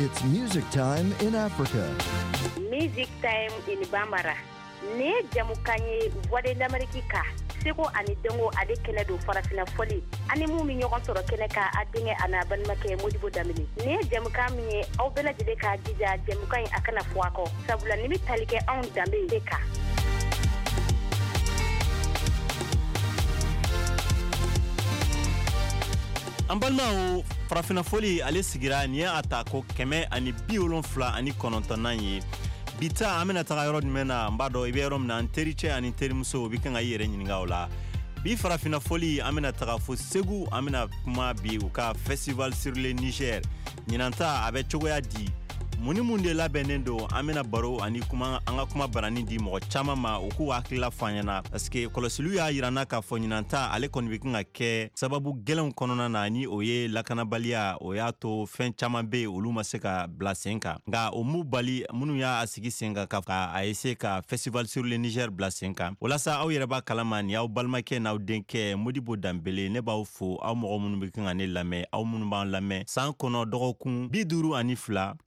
It's music time in Africa. Music Time in Bambara. Nin ye jamukan ye Voix de l'Amérique ka seko ani dɔnko ale kɛnɛ don farafina fɔli ani mun bɛ ɲɔgɔn sɔrɔ kɛnɛ kan a denkɛ a n'a balimakɛ Modibo Danbele. Nin ye jamukan min ye aw bɛɛ lajɛlen k'a jija jamukan in a kana fɔ a kɔ sabula nin bɛ tali kɛ anw danbe de kan. An balimaw, farafina fɔli ale sigira nin ye a ta ko 779nan ye. Bi ta an bɛna taga yɔrɔ jumɛn na? N b'a dɔn i bɛ yɔrɔ min na, n tericɛ ani terimuso, o bɛ kan ka i yɛrɛ ɲininka o la. Bi farafina fɔli, an bɛna taga fo Segu. An bɛna kuma bi u ka festival sur le Niger. Ɲinan ta a bɛ cogoya di? Mun ni mun de labɛnnen don? An bɛna baro ani kuma, an ka kuma barani di mɔgɔ caman ma, u k'u hakilila fɔ an ɲɛna, parce que kɔlɔsiliw y'a yira n na k'a fɔ ɲinan ta ale kɔni bɛ kan ka kɛ sababu gɛlɛnw kɔnɔna na, ni o ye lakanabaliya. O y'a to fɛn caman bɛ yen, olu ma se ka bila sen kan, nka o m'u bali minnu y'a sigi sen kan ka a essayer ka festival sur le Niger bila sen kan. O la sa, aw yɛrɛ b'a kalama, nin y'aw balimakɛ n'aw denkɛ Modibo Danbele. Ne b'aw fo, aw mɔgɔ minnu bɛ kan ka ne lamɛn, aw minnu b'an lamɛn san kɔnɔ dɔgɔkun 52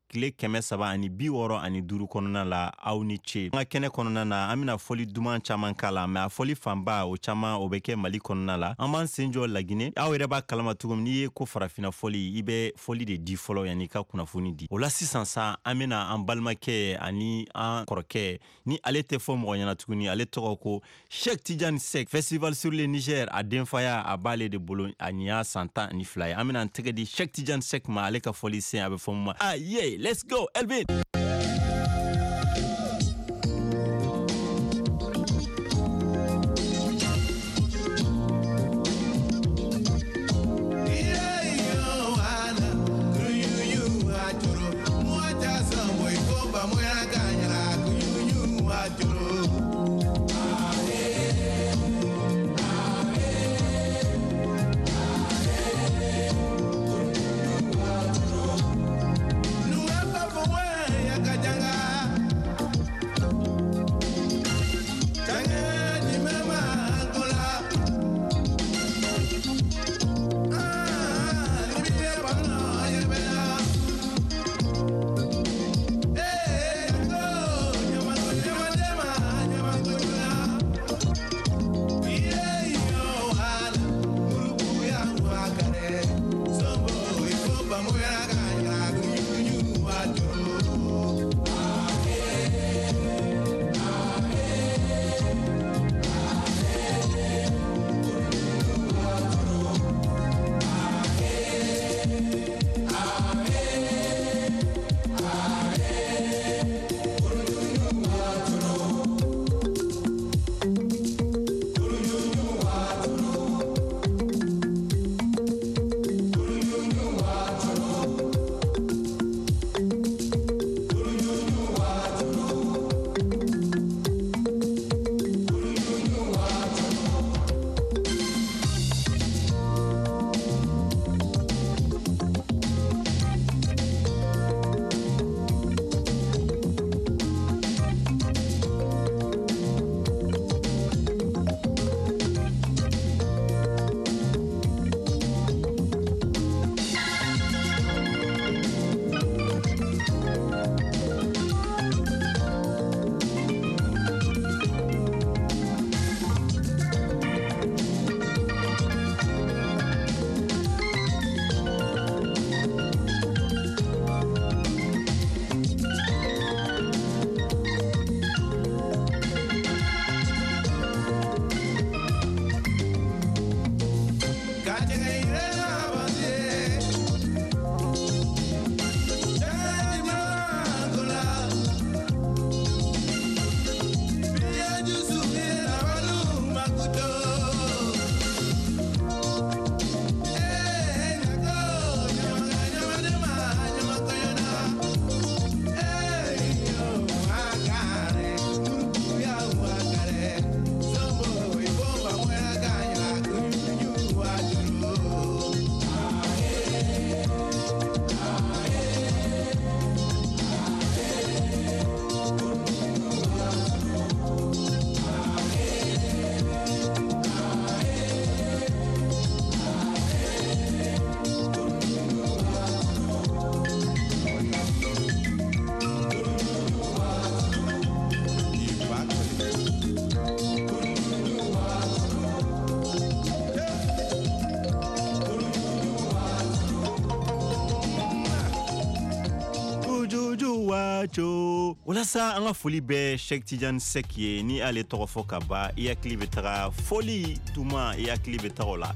tile 365 kɔnɔna la, aw ni ce. An ka kɛnɛ kɔnɔna na, an bɛna fɔli duman caman k'a la, mɛ a fɔli fanba o caman o bɛ kɛ Mali kɔnɔna la. An b'an sen jɔ Lagine. Aw yɛrɛ b'a kalama cogo min, n'i ye ko farafina fɔli, i bɛ fɔli de di fɔlɔ yanni i ka kunnafoni di. O la sisan sa, an bɛna an balimakɛ ani an kɔrɔkɛ, ni ale tɛ fɔ mɔgɔ ɲɛna tuguni, ale tɔgɔ ko Cheikh Tidiane Seck. Festival sur le Niger, a denfaya a b'ale de bolo, a nin y'a san 12 ye. An bɛna an tɛgɛ di Cheikh Tidiane Seck ma, ale ka fɔli sen a bɛ fɔ mun ma? Ah yeah, let's go Elvin. Waco. Walasa an ka foli bɛ Cheick Tidiane Seck ye. Ni ale tɔgɔ fɔ ka ban, i hakili bɛ taga fɔli tuma, i hakili bɛ taga o la.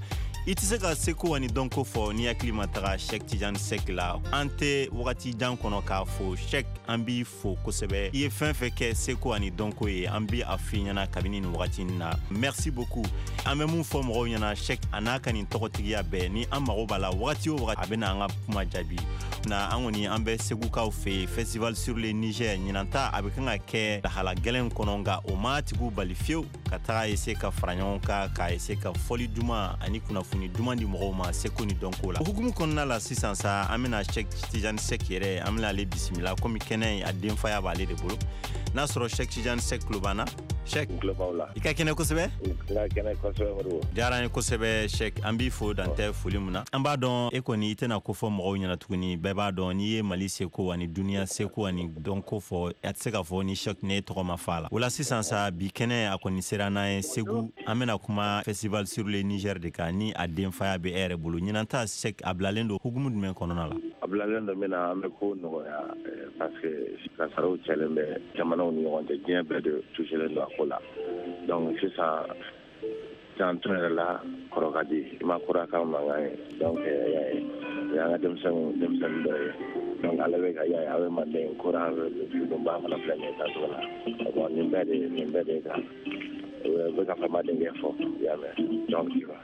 I tɛ se ka seko ani dɔnko fɔ ni hakili ma taga Cheick Tidiane Seck la. An tɛ wagati jan kɔnɔ k'a fo. Cheick, an b'i fo kosɛbɛ. I ye fɛn fɛn kɛ seko ani dɔnko ye, an bi a f'i ɲɛna kabini nin wagati na, merci beaucoup. An bɛ mun fɔ mɔgɔw ɲɛna, Cheick a n'a ka nin tɔgɔtigiya bɛɛ, ni an mago b'a la wagati o wagati, a bɛna an ka kuma jaabi na. An kɔni, an bɛ Segukaw fɛ yen. Festival sur le Niger ɲinan ta, a bɛ kan ka kɛ lahala gɛlɛn kɔnɔ, nka o ma tigiw bali fiyewu ka taga ese ka fara ɲɔgɔn kan, ka ese ka fɔli duman ani kunnafoni duman di mɔgɔw ma seko ni dɔnko la. O hukumu kɔnɔna la sisan sa, an bɛna Cheick Tidiane Seck yɛrɛ, an bɛna ale bisimila, komi kɛnɛ a denfaya b'ale de bolo. N'a sɔrɔ Cheick Tidiane Seck tulo b'an na. Cheick, i ka kɛnɛ kosɛbɛ. Diyara an ye kosɛbɛ, Cheick. An b'i fo dantɛ foli mun na. An b'a dɔn e kɔni, i tɛna ko fɔ mɔgɔw ɲɛna tuguni. Bɛɛ b'a dɔn n'i ye Mali seko ani duniya seko ani dɔnko fɔ, a tɛ se k'a fɔ ni Cheick ne tɔgɔ ma fa la. O la sisan sa, bi kɛnɛ a kɔni sera n'an ye Segu. An bɛna kuma Festival sur le Niger de kan, ni a denfaya bɛ e yɛrɛ bolo. Ɲinan ta, Cheick, a bilalen don hukumu jumɛn kɔnɔna la? A bilalen don min na, an bɛ ko nɔgɔya, parce que kasaraw cɛlen bɛ jamanaw ni ɲɔgɔn cɛ, diɲɛ bɛɛ de touchelen don a ko la. Donc sisan, janto yɛrɛ la, kɔrɔ ka di i ma kura ka mankan ye. Donc y'a ye, o y'an ka denmisɛnnin dɔ ye. Donc ale bɛ ka y'a ye, a bɛ manden kura ba fana filɛ nin ye tancogo la. Bon, nin bɛɛ de kan u bɛ ka famadenkɛ fɔ, i y'a mɛn? Donc tu vois.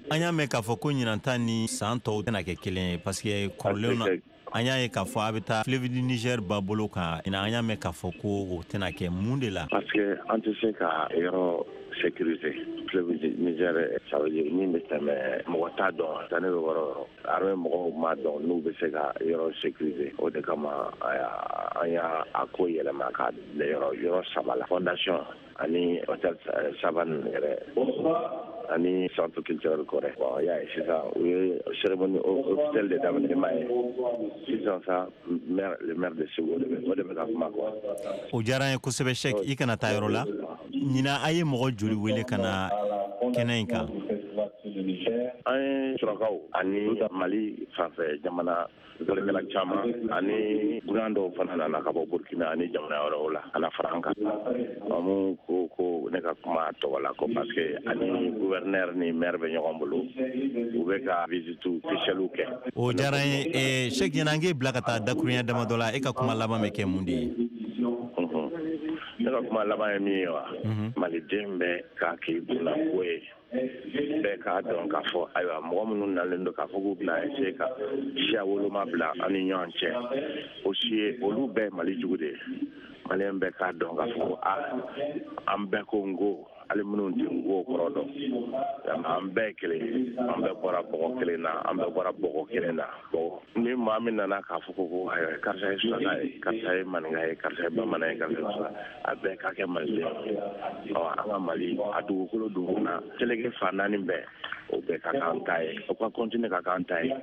An y'a mɛn k'a fɔ ko ɲinan ta ni san tɔw tɛna kɛ kelen ye, parce que kɔrɔlenw na, an y'a ye k'a fɔ a bɛ taa fleuve du Niger ba bolo kan. An y'a mɛn k'a fɔ ko o tɛna kɛ. Mun de la? Parce que an tɛ se ka yɔrɔ sécuriser. Fleuve du Niger, ça veut dire min bɛ tɛmɛ, mɔgɔ t'a dɔn taa ne bɛ yɔrɔ yɔrɔ. Armée mɔgɔw m'a dɔn n'u bɛ se ka yɔrɔ sécuriser. O de kama an y'a a ko yɛlɛma ka bila yɔrɔ yɔrɔ saba la: fondation ani hôtel Savane yɛrɛ ani centre culturel Kɔrɛ. Bon, y'a ye sisan, u ye cérémonie officielle de daminɛ, i m'a ye sisan sa, maire, le maire de Segu, o de bɛ ka kuma quoi. O diyara an ye kosɛbɛ, Cheick. I kana taa yɔrɔ la. Ɲinan, a ye mɔgɔ joli wele ka na kɛnɛ in kan? An ye surakaw ani Mali fanfɛ jamana dɔnnikɛla caman ani dunan dɔw fana nana ka bɔ Burkina ani jamana wɛrɛw la ka na fara an kan. Mun ko ko ne ka kuma a tɔgɔ la ko parce que ani gouverneur ni maire bɛ ɲɔgɔn bolo, u bɛ ka visite officielle kɛ. O diyara an ye, Cheick. Ɲinan, an k'e bila ka taa dakuruɲɛ damadɔ la. E ka kuma laban bɛ kɛ mun de ye? Ne ka kuma laban ye min ye wa, maliden bɛ k'a k'i kunna ko ye, bɛɛ k'a dɔn k'a fɔ ayiwa, mɔgɔ minnu nalen don k'a fɔ k'u bɛna essayer ka siya woloma bila an ni ɲɔgɔn cɛ, o si ye olu bɛɛ Mali jugu de ye. Maliyɛn bɛɛ k'a dɔn k'a fɔ ko a an bɛɛ ko n ko hali minnu tɛ n ko kɔrɔ dɔn, an bɛɛ ye kelen ye, an bɛɛ bɔra bɔgɔ kelen na, an bɛɛ bɔra bɔgɔ kelen na. Ni maa min nana k'a fɔ ko ayiwa, karisa ye suraka ye, karisa ye maninka ye, karisa ye bamanan ye, karisa ye musa, a bɛɛ ka kɛ maliden ye. Ɔ, an ka Mali a dugukolo dun na, seleke fan naani bɛɛ, o bɛɛ ka k'an ta ye, o ka continuer ka k'an ta ye.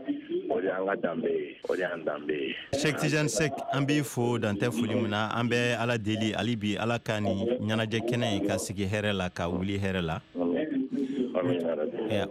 O de y'an ka danbe ye, o de y'an danbe ye. Cheick Tidiane Seck, an b'i fo dantɛ foli min na. An bɛ Ala deli hali bi, Ala ka nin ɲɛnajɛ kɛnɛ in ka sigi hɛrɛ la, ka wuli hɛrɛ la.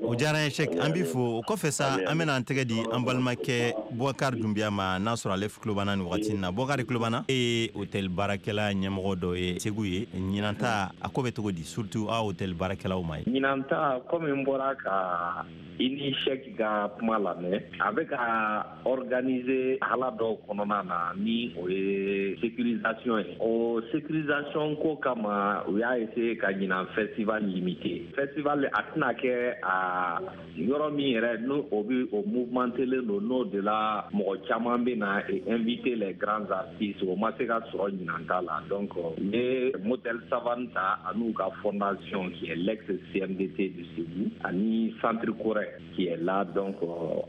O diyara an ye, Cheick, an b'i fo. O kɔfɛ sa, an bɛna an tɛgɛ di an balimakɛ Boubacar Dunbiya ma, n'a sɔrɔ ale tulo b'an na nin wagati in na. Boubacar, tulo b'an na? E ye hôtel baarakɛla ɲɛmɔgɔ dɔ ye Segu ye. Ɲinan ta, a ko bɛ cogo di, surtout aw hôtel baarakɛlaw ma ye? Ɲinan ta, komi n bɔra ka i ni Cheick ka kuma lamɛn, a bɛ ka organiser hala dɔw kɔnɔna na, ni o ye sécurisation ye. O sécurisation ko kama, u y'a essayer ka ɲinan festival limité. Festival a tɛna kɛ a yɔrɔ min yɛrɛ n'o o bɛ o mouvementelen don, n'o de la mɔgɔ caman bɛ na et inviter les grands artistes, o ma se ka sɔrɔ ɲinan ta la. Donc u ye Motel Savane ta an'u ka fondation qui est l'ex CMDT de Ségou ani Centre Korɛ qui est là. Donc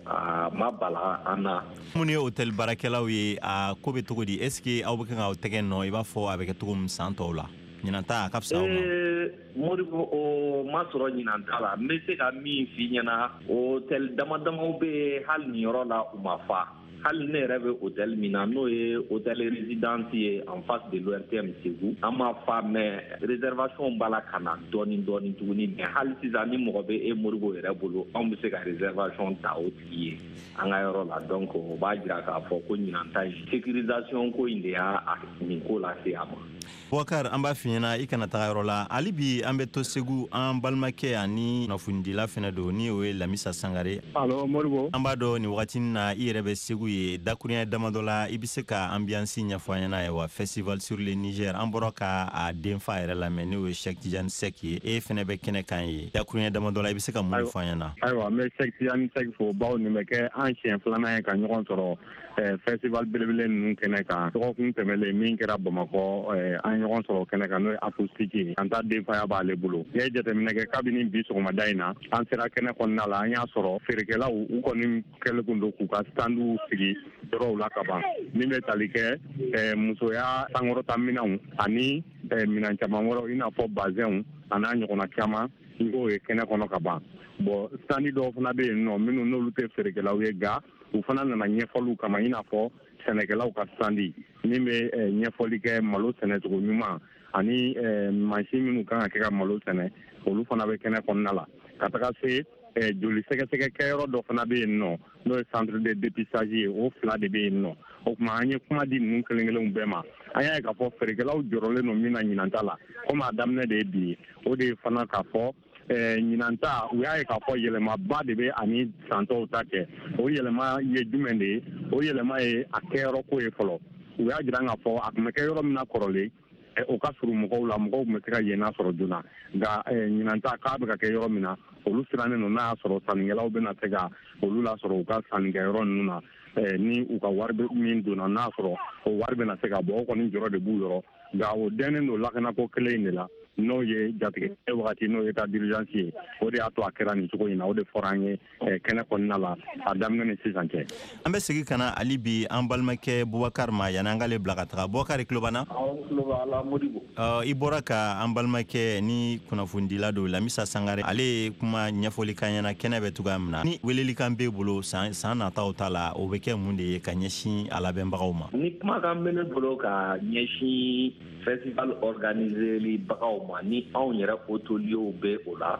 a ma bala an na. Minnu ye hôtel baarakɛlaw ye, a ko bɛ cogo di? Est ce que aw bɛ kan k'aw tɛgɛ nɔ i b'a fɔ a bɛ kɛ cogo min san tɔw la? Ɲinan ta, a ka fisa aw ma? Modibo, o ma sɔrɔ ɲinan ta la. N bɛ se ka min f'i ɲɛna, hôtel dama damaw bɛ yen, hali nin yɔrɔ la u ma fa. Hali ne yɛrɛ bɛ hôtel min na, n'o ye hôtel Résidence ye en face de l'ORTM Segu, an ma fa, mais réservation b'a la ka na dɔɔni dɔɔni tuguni. Mais hali sisan, ni mɔgɔ bɛ e Modibo yɛrɛ bolo, anw bɛ se ka réservation ta o tigi ye an ka yɔrɔ la. Donc o b'a jira k'a fɔ ko ɲinan ta in, sécurisation ko in de y'a nin ko lase a ma. Bubakar, an b'a f'i ɲɛna, i kana taga yɔrɔ la hali bi. An bɛ to Segu. An balimakɛ ani kunnafonidila fɛnɛ don, ni o ye Lamisa Sangare. Allo Modibo. An b'a dɔn nin wagati na, i yɛrɛ bɛ Segu ye. Dakuruɲɛ damadɔ la, i bɛ se ka ambiance ɲɛfɔ an ɲɛna ye wa? Festival sur le Niger, an bɔra ka a denfa yɛrɛ lamɛn, n'o ye Cheikh Tidiane Seck ye. E fɛnɛ bɛ kɛnɛ kan ye. Dakuruɲɛ damadɔ la, i bɛ se ka mun fɔ an ɲɛna? Ayiwa, n bɛ Cheikh Tidiane Seck fo, bawo nin bɛ kɛ an siɲɛ filanan ye ka ɲɔgɔn sɔrɔ festival belebele ninnu kɛnɛ kan. Dɔgɔkun tɛmɛlen min kɛra Bamakɔ, an ɲɔgɔn sɔrɔ kɛnɛ kan, n'o ye acoustique ye. An ta denfaya b'ale bolo. N'i ye jateminɛ kɛ, kabini bi sɔgɔmada in na an sera kɛnɛ kɔnɔna la, an y'a sɔrɔ feerekɛlaw u kɔni kɛlen kun don k'u ka standw sigi yɔrɔw la ka ban, min bɛ tali kɛ musoya sankɔrɔta minɛnw ani minɛn caman wɛrɛw, i n'a fɔ bazɛnw a n'a ɲɔgɔnna caman. I k'o ye kɛnɛ kɔnɔ ka ban. Bon, stand dɔw fana bɛ yen nɔ, minnu n'olu tɛ feerekɛlaw ye, nka u fana nana ɲɛfɔliw kama, i n'a fɔ sɛnɛkɛlaw ka stand min bɛ ɲɛfɔli kɛ malo sɛnɛcogo ɲuman ani mansin minnu kan ka kɛ ka malo sɛnɛ, olu fana bɛ kɛnɛ kɔnɔna la. Ka taga se joli sɛgɛsɛgɛ kɛyɔrɔ dɔ fana bɛ yen nɔ, n'o ye centre de dépistage ye. O fila de bɛ yen nɔ. O tuma, an ye kuma di ninnu kelen kelenw bɛɛ ma. An y'a ye k'a fɔ feerekɛlaw jɔrɔlen don min na ɲinan ta la, komi a daminɛ de ye bi ye, o de ye fana k'a fɔ ɲinan ta, u y'a ye k'a fɔ yɛlɛmaba de bɛ ani san tɔw ta cɛ. O yɛlɛma ye jumɛn de ye? O yɛlɛma ye a kɛyɔrɔ ko ye fɔlɔ. U y'a jira k'a fɔ a tun bɛ kɛ yɔrɔ min na kɔrɔlen, o ka surun mɔgɔw la, mɔgɔw tun bɛ se ka yen sɔrɔ joona. Nka ɲinan ta, k'a bɛ ka kɛ yɔrɔ min na, olu sirannen don n'a y'a sɔrɔ sannikɛlaw bɛna se ka olu lasɔrɔ u ka sannikɛyɔrɔ ninnu na, ni u ka wari min donna, n'a sɔrɔ o wari bɛna se ka bɔ. O kɔni jɔrɔ de b'u yɔrɔ, nka o dɛnnen don lakanako kelen in de la, n'o ye jatigɛ wagati, n'o ye état d'urgence ye. O de y'a to a kɛra nin cogo in na. O de fɔra an ye kɛnɛ kɔnɔna la, a daminɛ ni sisan cɛ. An bɛ segin ka na hali bi an balimakɛ Bubakar ma, yanni an k'ale bila ka taga. Bubakar, tulo b'an na? I bɔra ka an balimakɛ ni kunnafonidila don, Lamisa Sangare, ale ye kuma ɲɛfɔli kan ɲɛna kɛnɛ bɛ cogoya min na. Ni welelikan b'e bolo san san nataw ta la, o bɛ kɛ mun de ye ka ɲɛsin a labɛnbagaw ma? Ni kumakan bɛ ne bolo ka ɲɛsin festival organiseli bagaw ma, ni anw yɛrɛ hôteliers bɛ o la,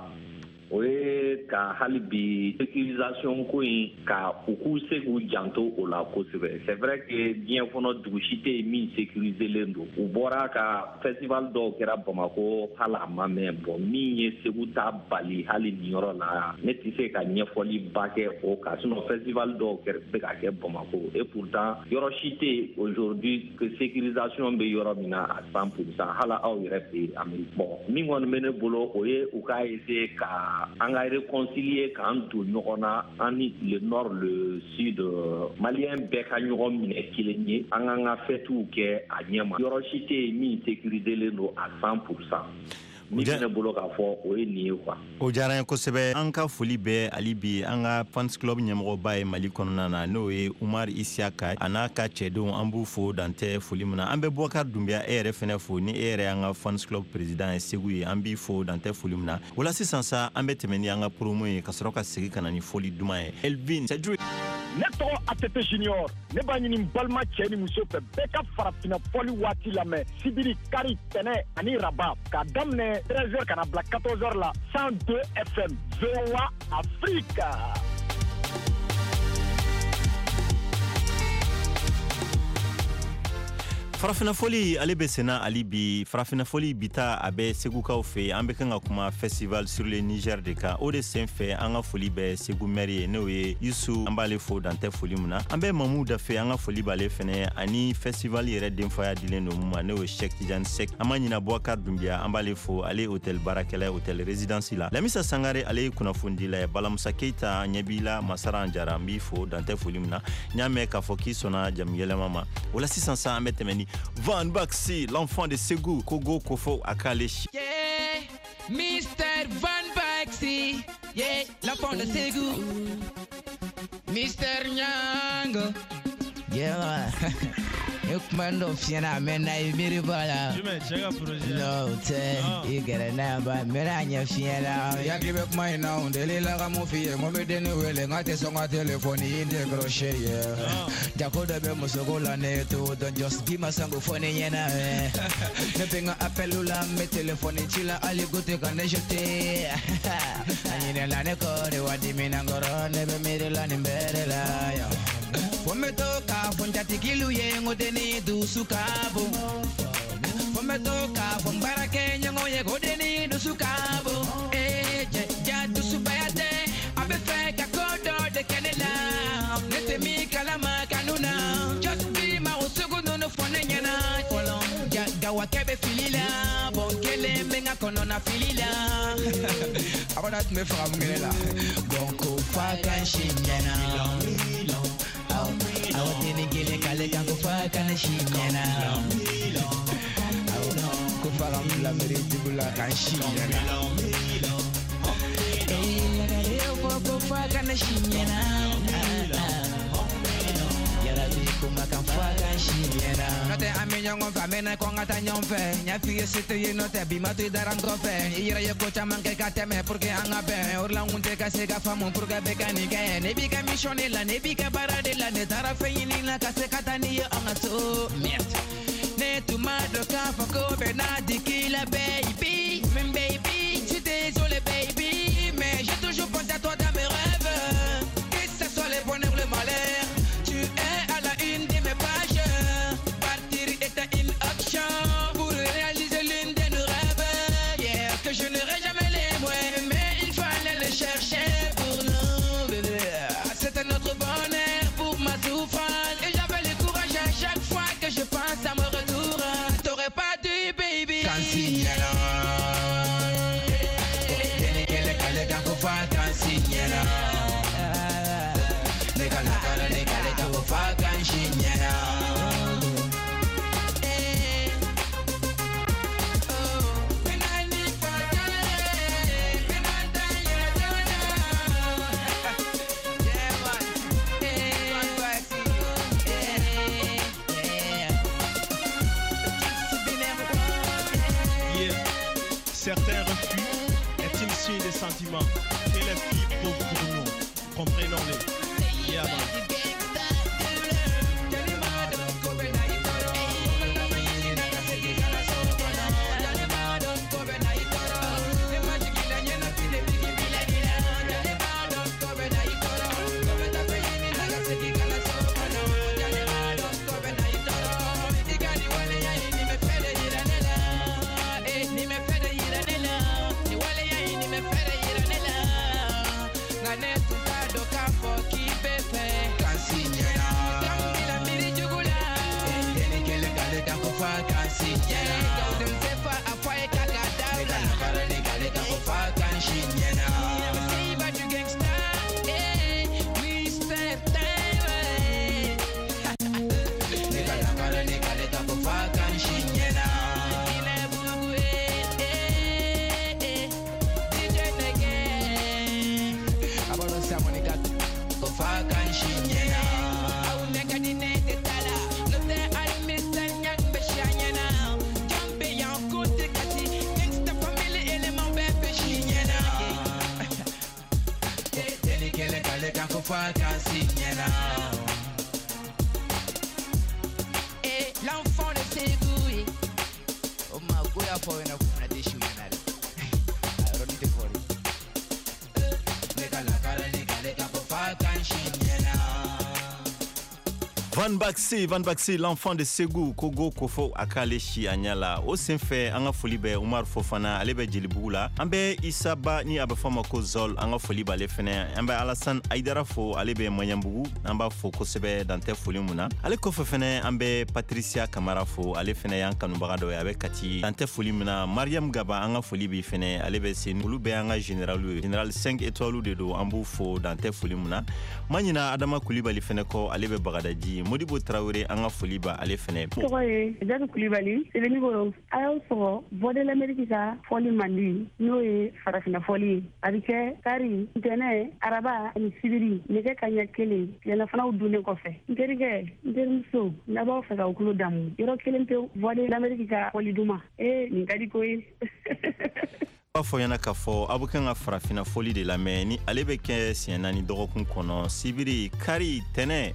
o ye ka hali bi sécurisation ko in, ka u k'u se k'u janto o la kosɛbɛ. C'est vrai que diɲɛ kɔnɔ, dugu si tɛ yen min sécuriselen don. U bɔra ka festival dɔw kɛra Bamakɔ, hali a ma mɛn. Bon, min ye Segu ta bali hali nin yɔrɔ la, ne tɛ se ka ɲɛfɔli ba kɛ o kan. Sinon festival dɔw bɛ ka kɛ Bamakɔ, et pourtant yɔrɔ si tɛ yen aujourd'hui que sécurisation bɛ yɔrɔ min na à 100%, hali aw yɛrɛ fɛ yen Amérique. Bon, min kɔni bɛ ne bolo, o ye u k'a essayer ka an ka réconcilier, k'an don ɲɔgɔn na, an ni le nord, le sud, malien bɛɛ ka ɲɔgɔn minɛ kelen ye, an k'an ka fêtew kɛ a ɲɛ ma. Yɔrɔ si tɛ yen min sécuriselen don à 100%. Min bɛ ne bolo k'a fɔ, o ye nin ye quoi. O diyara n ye kosɛbɛ. An ka foli bɛ hali bi an ka fans club ɲɛmɔgɔba ye Mali kɔnɔna na, n'o ye Umar Isiyaka a n'a ka cɛdenw. An b'u fo dantɛ foli min na. An bɛ Bubakar Dunbiya, e yɛrɛ fɛnɛ fo, ni e yɛrɛ y'an ka fans club président ye Segu ye. An b'i fo dantɛ foli min na. O la sisan sa, an bɛ tɛmɛ ni an ka promo ye, ka sɔrɔ ka segin ka na ni foli duman ye. Elvin Cedric. Ne tɔgɔ ATT Junior. Ne b'a ɲini balima cɛ ni muso fɛ, bɛɛ ka farafinna fɔli waati lamɛn sibiri, kari, tɛnɛ ani raba, k'a daminɛ 13h ka na bila 14h la, 102 FM, VOA Afrique. Farafinna fɔli, ale bɛ senna hali bi. Farafinna fɔli bi ta, a bɛ Segukaw fɛ. An bɛ kan ka kuma festival sur le Niger de kan. O de sen fɛ, an ka foli bɛ Segu maire ye, n'o ye Yusu. An b'ale fo dantɛ foli min na. An bɛ Mamu Dafe, an ka foli b'ale fɛnɛ, ani festival yɛrɛ denfaya dilen don mun ma, n'o ye Cheikh Tidiane Seck. An ma ɲina Boubacar Dunbiya, an b'ale fo, ale ye hôtel baarakɛla ye hôtel Résidence la. Lamisa Sangare, ale ye kunnafonidila ye. Balamusa Keita, ɲɛ b'i la. Masara Jara, n b'i fo dantɛ foli min na. N y'a mɛn k'a fɔ k'i sɔnna jamu yɛlɛma ma. O la sisan sa, an bɛ tɛmɛ ni Van Baxi, l'enfant de Ségou, Kogo Kofo Akale. Yeah, Mr. Van Baxi, yeah, l'enfant de Ségou. Mr. Nyango, yeah. Ne kuma dɔ f'i ɲɛna a mɛnna i miiri b'a la. Jumɛn cɛ ka projet? N'o tɛ i gɛrɛ n'a ba n bɛna ɲɛ f'i ɲɛna. I hakili bɛ kuma in na n delila ka mun f'i ye n ko n bɛ denni wele n k'a tɛ sɔn ka telefɔni décrocher ye. Jako dɔ bɛ musoko la ne t'o dɔn just bi ma sango fɔ ne ɲɛna. Ne bɛ n ka appel la n bɛ telefɔni ci la hali ko tɛ ka ne jeter. A ɲinɛna ne kɔ de wa dimina n kɔrɔ ne bɛ miiri la nin bɛɛ de la. Fo n bɛ to k'a fɔ n jatigilu ye n ko denni dusu ka bon. Fo n bɛ to k'a fɔ n baarakɛɲɔgɔn ye ko denni dusu ka bon. Ee cɛ ja dusubaya tɛ a bɛ fɛ ka ko dɔ de kɛ ne la. Ne tɛ min kalama kanu na. Just be ma o sugu ninnu fɔ ne ɲɛna. Fɔlɔ ja gawakɛ bɛ fili la. Bɔn kelen bɛ n ka kɔnɔna fili la. A b'a dɔn a tun bɛ fɛ ka mun kɛ ne la. Bɔn ko f'a ka n si ɲɛna. Awo denni kelen k'ale kan ko f'a ka ne si ɲɛna. Ko f'a ka n bila miiri jugu la ka n si ɲɛna. Ee fɔ ko f'a ka ne si ɲɛna. Yarabi kuma kan f'a ka n si ɲɛna. N'o tɛ an bɛ ɲɔgɔn fɛ a mɛnna ko an ka taa ɲɔgɔn fɛ. N y'a f'i ye se tɛ ye n'o tɛ bi ma to i dara n kɔfɛ. I yɛrɛ ye ko caman kɛ ka tɛmɛ pour que an ka bɛn. O de la n kun tɛ ka se ka faamu pour que bɛɛ ka nin kɛ. Ne b'i ka mission de la ne b'i ka baara de la ne taara fɛn ɲini la ka se ka taa n'i ye an ka so. Merde. Ne tun m'a dɔn k'a fɔ ko bɛɛ n'a digi la baby. Baby, je suis désolé baby, mais j'ai toujours pensé à toi dans mes rêves. Que ce soit le bonheur ou le malheur, tu es à la une de mes pages. Partir était une option pour réaliser l'une de nos rêves. Yeah, que je n'aurais jamais les moyens, mais il fallait le chercher pour nous, bébé. C'était notre bonheur pour ma souffrance. Et j'avais le courage à chaque fois que je pense à mon retour. T'aurais pas dû, baby. Quand si Yeah. Certains refus est une signe des sentiments que les filles prouvent pour nous. Comprenons-les. Yeah, man. Et l'enfant de Ségou. Oh ma goya for na kuna de shu na. I don't need to for it. Van Baxi, l'enfant de Ségou, Kogo Kofo akale si a ɲɛ la. O senfɛ an ka foli bɛ Umar Fofana, ale bɛ Jelibugu la. An bɛ Isa Ba ni a bɛ fɔ a ma ko Zol, an ka foli b'ale fɛnɛ. An bɛ Alassane Aidara fo, ale bɛ Maɲanbugu, an b'a fo kosɛbɛ dan tɛ foli mun na. Ale kɔfɛ fɛnɛ an bɛ Patricia Kamara fo, ale fɛnɛ y'an kanubaga dɔ ye, a bɛ Kati dan tɛ foli mun na. Mariam Gaba, an ka foli b'i fɛnɛ, ale bɛ Senu. Olu bɛɛ y'an ka général ye, général 5 étoiles de don, an b'u fo dan tɛ foli mun na. Ma ɲina Adama Kulibali fɛnɛ kɔ, ale bɛ Bagadaji. Modibo Tarawele, an ka foli ba ale fɛnɛ. Tɔgɔ ye Jadu Kulibali, Sebenikoro. A y'aw sɔgɔ Voix de l'Amérique ka fɔli mandi, n'o ye farafinna fɔli ye. A bɛ kɛ kari, ntɛnɛ, araba ani sibiri, nɛgɛ kaɲɛ 1, tilelafanaw dunnen kɔfɛ. N terikɛ, n terimuso, n'a b'aw fɛ k'aw tulo damu yɔrɔ kelen pewu, Voix de l'Amérique ka fɔli duman. Ee, nin ka di koyi. B'a fɔ ɲɛna k'a fɔ aw bɛ kan ka farafinna fɔli de lamɛn, ni ale bɛ kɛ siɲɛ 4 dɔgɔkun kɔnɔ, sibiri, kari, tɛnɛ,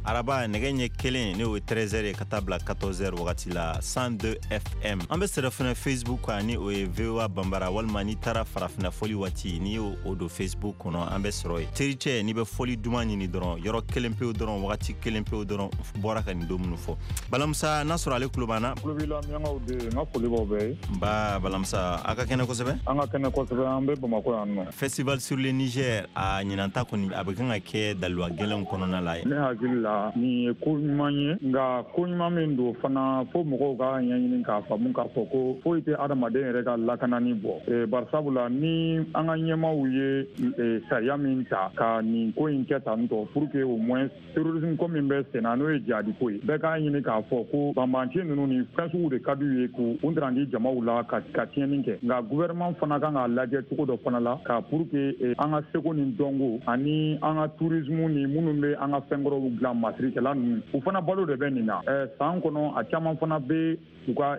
araba, nɛgɛ ɲɛ 1, n'o ye 13h ye, ka taa bila 14h wagati la, 102 FM. An bɛ sɔrɔ fɛnɛ Facebook kan, ni o ye VOA Bambara, walima n'i taara farafinna fɔli waati, n'i y'o o don Facebook kɔnɔ, an bɛ sɔrɔ yen. Tericɛ, n'i bɛ fɔli duman ɲini dɔrɔn, yɔrɔ kelen pewu dɔrɔn, wagati kelen pewu dɔrɔn, bɔra ka nin don minnu fɔ. Balamusa, n'a sɔrɔ ale tulo b'an na. Tulo b'i la, Miyankaw de, n ka foli b'aw bɛɛ ye. Nba Balamusa, a ka kɛnɛ kosɛbɛ. An ka kɛnɛ kosɛbɛ, an bɛ Bamakɔ yan nɔ. Festival sur le Niger, a ɲinanta kɔni a bɛ kan ka kɛ daliwa gɛlɛnw kɔnɔna la. Ne hakili la, nin ye ko ɲuman ye, nka ko ɲuman min don fana, fo mɔgɔw ka ɲɛɲini k'a faamu k'a fɔ ko foyi tɛ adamaden yɛrɛ ka lakanani bɔ. Barisabula ni an ka ɲɛmaaw ye sariya min ta ka nin ko in kɛ tan tɔ, pour que au moins terrorisme ko min bɛ sen na, n'o ye jihadi ko ye, bɛɛ k'a ɲini k'a fɔ ko banbanci ninnu ni fɛn sugu de ka d'u ye k'u kun di jamaw la ka tiɲɛni kɛ. Nka gouvernement fana kan k'a lajɛ cogo dɔ fana la, ka pour que an ka seko ni dɔnko ani an ka tourisme ni minnu bɛ an ka fɛnkɔrɔw dilan, masirikɛla ninnu, u fana balo de bɛ nin na. San kɔnɔ a caman fana bɛ u ka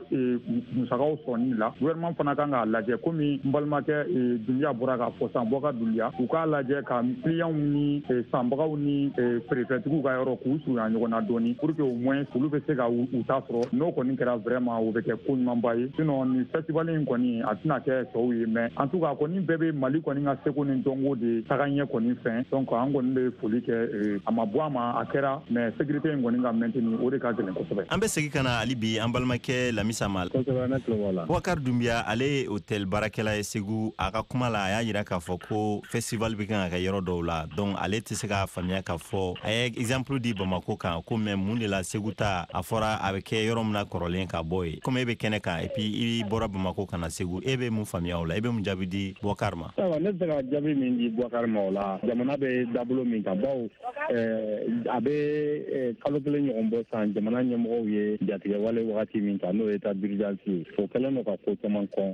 musakaw sɔrɔni la. Gouvernement fana kan k'a lajɛ, komi n balimakɛ Dunbiya bɔra k'a fɔ sisan, Bɔkar Dunbiya, u k'a lajɛ ka clients ni sanbagaw ni feerefɛntigiw ka yɔrɔ k'u surunya ɲɔgɔn na dɔɔni, pour que au moins olu bɛ se ka u ta sɔrɔ. N'o kɔni kɛra, vraiment o bɛ kɛ ko ɲumanba ye. Sinon nin festival in kɔni a tɛna kɛ tɔw ye, mais en tout cas kɔni bɛɛ bɛ Mali kɔni ka seko ni dɔnko de taga ɲɛ kɔni fɛn. Donc an kɔni bɛ foli kɛ, a ma bɔ a ma, a kɛra, mais sécurité in kɔni ka maintenir, o de ka gɛlɛn kosɛbɛ. An bɛ segin ka na hali bi an balimakɛ Lamisa ma. Boubacar Doumbia, ale ye hôtel baarakɛla ye Segu. A ka kuma la, a y'a yira k'a fɔ ko festival bɛ kan ka kɛ yɔrɔ dɔw la, donc ale tɛ se k'a faamuya k'a fɔ. A ye exemple di Bamako kan ko, mais mun de la Segu ta, a fɔra a bɛ kɛ yɔrɔ min na kɔrɔlen ka bɔ yen? Komi e bɛ kɛnɛ kan, et puis i bɔra Bamako ka na Segu, e bɛ mun faamuya o la? E bɛ mun jaabi di Boubacar ma? Ayiwa, ne bɛ se ka jaabi min di Boubacar ma o la, jamana bɛ dabolo min kan, bawo a bɛ kalo 1 ɲɔgɔn bɔ san, jamana ɲɛmɔgɔw ye jatigɛ wale wagati min ta, n'o ye état d'urgence ye, o kɛlen don ka ko caman kɔn.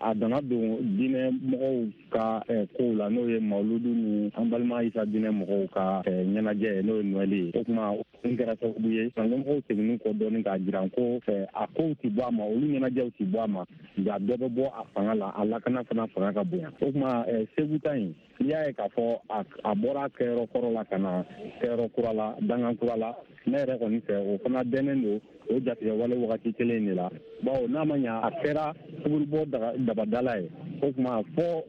A nana don diinɛ mɔgɔw ka kow la, n'o ye Mawuludu ni an balima Isa diinɛ mɔgɔw ka ɲɛnajɛ ye, n'o ye Noël ye. O tuma o kɛra sababu ye ka ɲɛmɔgɔw seginni kɔ dɔɔni, k'a jira ko a kow ti bɔ a ma, olu ɲɛnajɛw ti bɔ a ma, nka dɔ bɛ bɔ a fanga la, a lakana fana fanga ka bonya. O tuma Segu ta in, n'i y'a ye k'a fɔ a bɔra kɛyɔrɔ kɔrɔ la ka na kɛyɔrɔ kura la, dangan kura la, ne yɛrɛ kɔni fɛ, o fana dɛnnen don o jatigɛ wale wagati kelen de la, bawo n'a ma ɲa a kɛra fugurubɔ dabadala ye. O tuma fɔ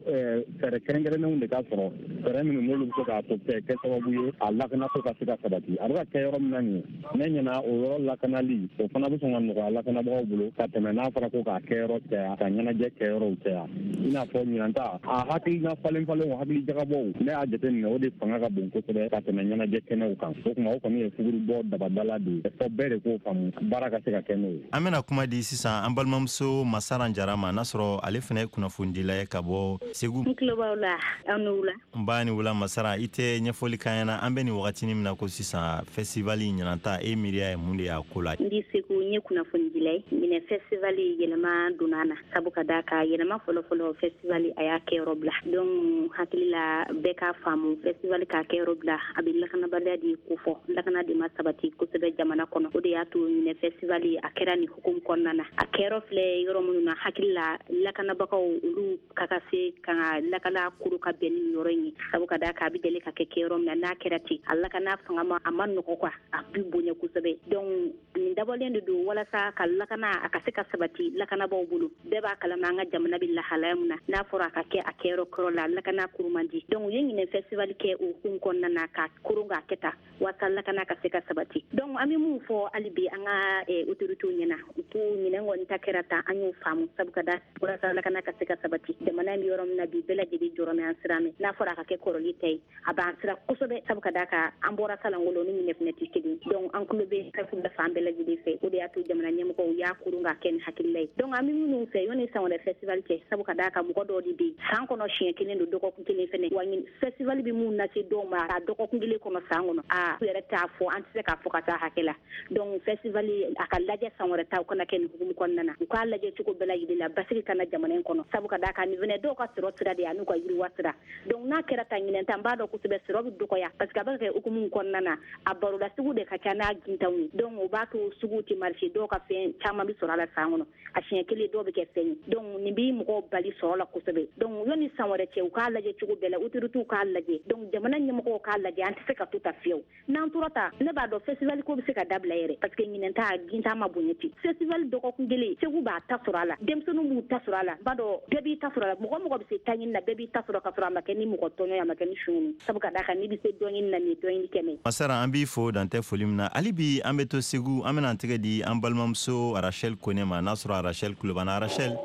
fɛɛrɛ kɛrɛnkɛrɛnnenw de ka sɔrɔ, fɛɛrɛ minnu n'olu bɛ se k'a to kɛ sababu ye a lakanako ka se ka sabati. A bɛ ka kɛ yɔrɔ min na nin ye, ne ɲɛna o yɔrɔ lakanali, o fana bɛ sɔn ka nɔgɔya lakanabagaw bolo ka tɛmɛ n'a fɔra ko k'a kɛyɔrɔ caya, ka ɲɛnajɛ kɛyɔrɔw caya. I n'a fɔ ɲinan ta, a hakilina falen falenw, hakili jagabɔw, ne y'a jateminɛ o de fanga ka bon kosɛbɛ ka tɛmɛ ɲɛnajɛ kɛnɛw kan. O tuma o kɔni ye fugurubɔ dabadala de ye, fɔ bɛɛ de k'o faamu, baara ka se ka kɛ n'o ye. An bɛna kuma di sisan an balimamuso Masaran Jara ma, n'a sɔrɔ ale fana ye kunnafonidila ye ka bɔ Segu. N tulo b'aw la, aw ni wula. N ba ni wula Masara, i tɛ ɲɛfɔli k'an ɲɛna, an bɛ nin wagatinin min na ko sisan, festival ɲinan ta, e miiriya ye mun de y'a ko la? N di Segu, n ye kunnafonidila ye. Ɲinɛ festival yɛlɛma donna na, sabu ka d'a kan yɛlɛma fɔlɔfɔlɔ, festival a y'a kɛyɔrɔ bila. Donc hakili la, bɛɛ k'a faamu, festival k'a kɛyɔrɔ bila, a bɛ lakanabaliya de kofɔ, lakana de ma sabati kosɛbɛ jamana kɔnɔ. O de y'a to ɲinɛ festival a kɛra nin hukumu kɔnɔna na. A kɛyɔrɔ filɛ yɔrɔ minnu na, hakili la lakanabagaw olu ka ka se ka lakana koro ka bɛn ni yɔrɔ in ye, sabu ka d'a kan a bɛ deli ka kɛ kɛyɔrɔ min na, n'a kɛra ten, a lakana fanga ma, a ma nɔgɔ quoi, a bi bonya kosɛbɛ. Donc nin dabɔlen de don walasa ka lakana a ka se ka sabati lakanabaw bolo. Bɛɛ b'a kalama an ka jamana bɛ lahalaya min na, n'a fɔra a ka kɛ a kɛyɔrɔ kɔrɔ la, lakana kuru man di. Donc u ye ɲinɛ festival kɛ o hukumu kɔnɔna na, ka koron k'a kɛ tan walasa lakana ka se ka sabati. Donc an bɛ mun fɔ hali bi an ka autorités ɲɛna, u k'u ɲinɛ kɔni ta kɛra tan, an y'o faamu, sabu ka da walasa lakana ka se ka sabati. Jamana in bɛ yɔrɔ min na bi, bɛɛ lajɛlen jɔrɔ mɛ an siran mɛ, n'a fɔra a ka kɛ kɔrɔli ta ye, a b'an siran kosɛbɛ, sabu ka d'a kan an bɔra salangolo ni ɲinɛ fɛnɛ tɛ kelen. Donc an tulo bɛ sɛfu la fan bɛɛ lajɛlen fɛ, o de y'a to jamana ɲɛmɔgɔw y'a koron k'a kɛ ni hakilila ye. Donc an bɛ minnu fɛ yanni san wɛrɛ festival cɛ, sabu ka d'a kan mɔgɔ dɔw de bɛ yen, san kɔnɔ siɲɛ kelen don, dɔgɔkun kelen. kelen fɛnɛ wa festival bɛ mun lase dɔw ma a dɔgɔkun kelen kɔnɔ san kɔnɔ, a yɛrɛ t'a fɔ, an tɛ se k'a fɔ ka taa hakɛ la. Donc festival a ka lajɛ san wɛrɛ ta, u kana kɛ nin hukumu kɔnɔna na, u k'a lajɛ cogo bɛɛ lajɛlen la basigi kana jamana in kɔnɔ, sabu ka d'a kan nin fɛnɛ dɔw ka sɔrɔ sira de ye an'u ka yiriwa sira. Donc n'a kɛra ta ɲinɛn ta, n b'a dɔn kosɛbɛ sɔrɔ bɛ dɔgɔya parce que a bɛ kɛ hukumu kɔnɔna na, a baroda sugu de ka ca n'a gintanw ye. Donc o b'a to sugu tɛ marché, dɔw ka fɛn caman bɛ sɔrɔ a la san kɔnɔ, a siɲɛ kelen dɔw bɛ kɛ fɛn ye. Donc nin bɛ mɔgɔw bali sɔrɔ la kosɛbɛ. Donc yanni san wɛrɛ cɛ, u k'a lajɛ cogo bɛɛ la, autorités k'a lajɛ, donc jamana ɲɛmɔgɔw k'a lajɛ, an tɛ se ka to ta fiyewu. N'an tora ta, ne b'a dɔn festival ko bɛ se ka dabila yɛrɛ parce que ɲinɛn ta gintan ma bonya ten. Festival dɔgɔkun kelen, Segu b'a ta sɔrɔ a la, denmisɛnninw b'u ta sɔrɔ a la, n b'a dɔn bɛɛ b'i ta sɔrɔ a la, mɔgɔ mɔgɔ bɛ se taɲini na, bɛɛ b'i ta sɔrɔ ka sɔrɔ a ma kɛ ni mɔgɔ tɔɲɔ ye, a ma kɛ ni suɲɛni, sabu ka d'a kan n'i bɛ se dɔɲini na, nin ye dɔɲini kɛnɛ ye. Masara, an b'i fo dantɛ foli min na. Hali bi an bɛ to Segu, an bɛna an tɛgɛ di an balimamuso Rachel Kone ma, n'a sɔrɔ Rachel tulo b'an na. Rachel,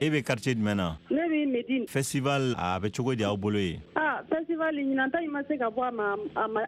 e bɛ quartier jumɛn na? Ne bɛ Medine. Festival a bɛ cogo di aw bolo yen? Ah, festival ɲinan ta in ma se ka bɔ a ma,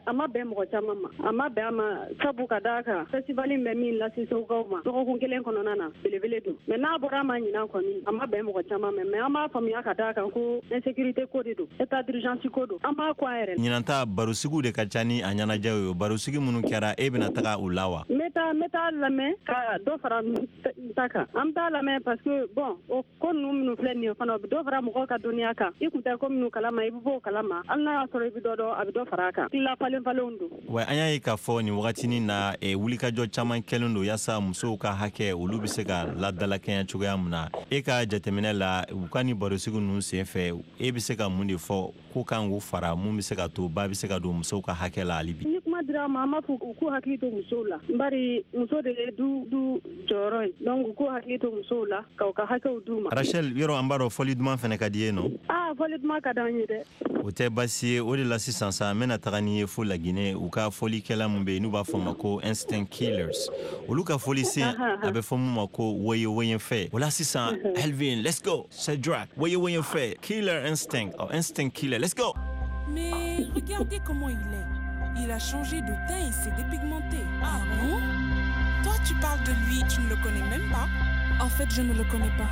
a ma bɛn mɔgɔ caman ma, a ma bɛn a ma, sabu ka d'a kan festival in bɛ min lase Segukaw ma dɔgɔkun kelen kɔnɔna na, belebele don. Mais n'a bɔra a ma ɲinan kɔni, a ma bɛn mɔgɔ caman ma, mais an b'a faamuya ka d'a kan ko insécurité ko de don, état d'urgence ko don, an b'a ko an yɛrɛ. Ɲinan ta barosigiw de ka ca ni a ɲɛnajɛw ye, barosigi minnu kɛra, e bɛna taga u la wa? N bɛ taa lamɛn ka dɔ fara n ta kan, an bɛ taa lamɛn parce que bon, o ko ninnu minnu filɛ nin ye fana, o bɛ dɔ fara mɔgɔw ka dɔnniya kan. I kun tɛ ko minnu kalama, i bɛ bɔ o kalama, hali n'a y'a sɔrɔ i bɛ dɔ dɔn, a bɛ dɔ fara a kan. Tila falen falenw don. Wa an y'a ye k'a fɔ nin wagatinin na, wulikajɔ caman kɛlen don yaasa musow ka hakɛ olu bɛ se ka ladalakɛɲɛ cogoya min na. E ka jateminɛ la, u ka nin barosigi ninnu sen fɛ, e bɛ se ka mun de fɔ ko kan k'u fara mun bɛ se ka to ba bɛ se ka don musow ka hakɛ la hali bi? Ni kuma dira ma, an b'a fɔ u k'u hakili to musow la, bari muso de ye du jɔyɔrɔ ye, donc u k'u hakili to musow la ka u ka hakɛw d'u ma. Rachel, yɔrɔ an b'a dɔn fɔli duman fana ka di ye nɔ? Ah, fɔli duman ka d'an ye dɛ. O tɛ baasi ye, o de la sisan sa n bɛna taga n'i ye fo Laginɛ, u ka fɔlikɛla mun bɛ yen n'u b'a fɔ ma ko Instinct Killers, olu ka fɔlisen a bɛ fɔ mun ma ko woye woye fɛ. O la sisan, Elvin, let's go, Cedric, woye woye fɛ, Killer Instinct, oh, Instinct Killer, let's go. Mais regardez comment il est. Il a changé de teint et s'est dépigmenté. Ah bon? Toi, tu parles de lui, tu ne le connais même pas. En fait, je ne le connais pas.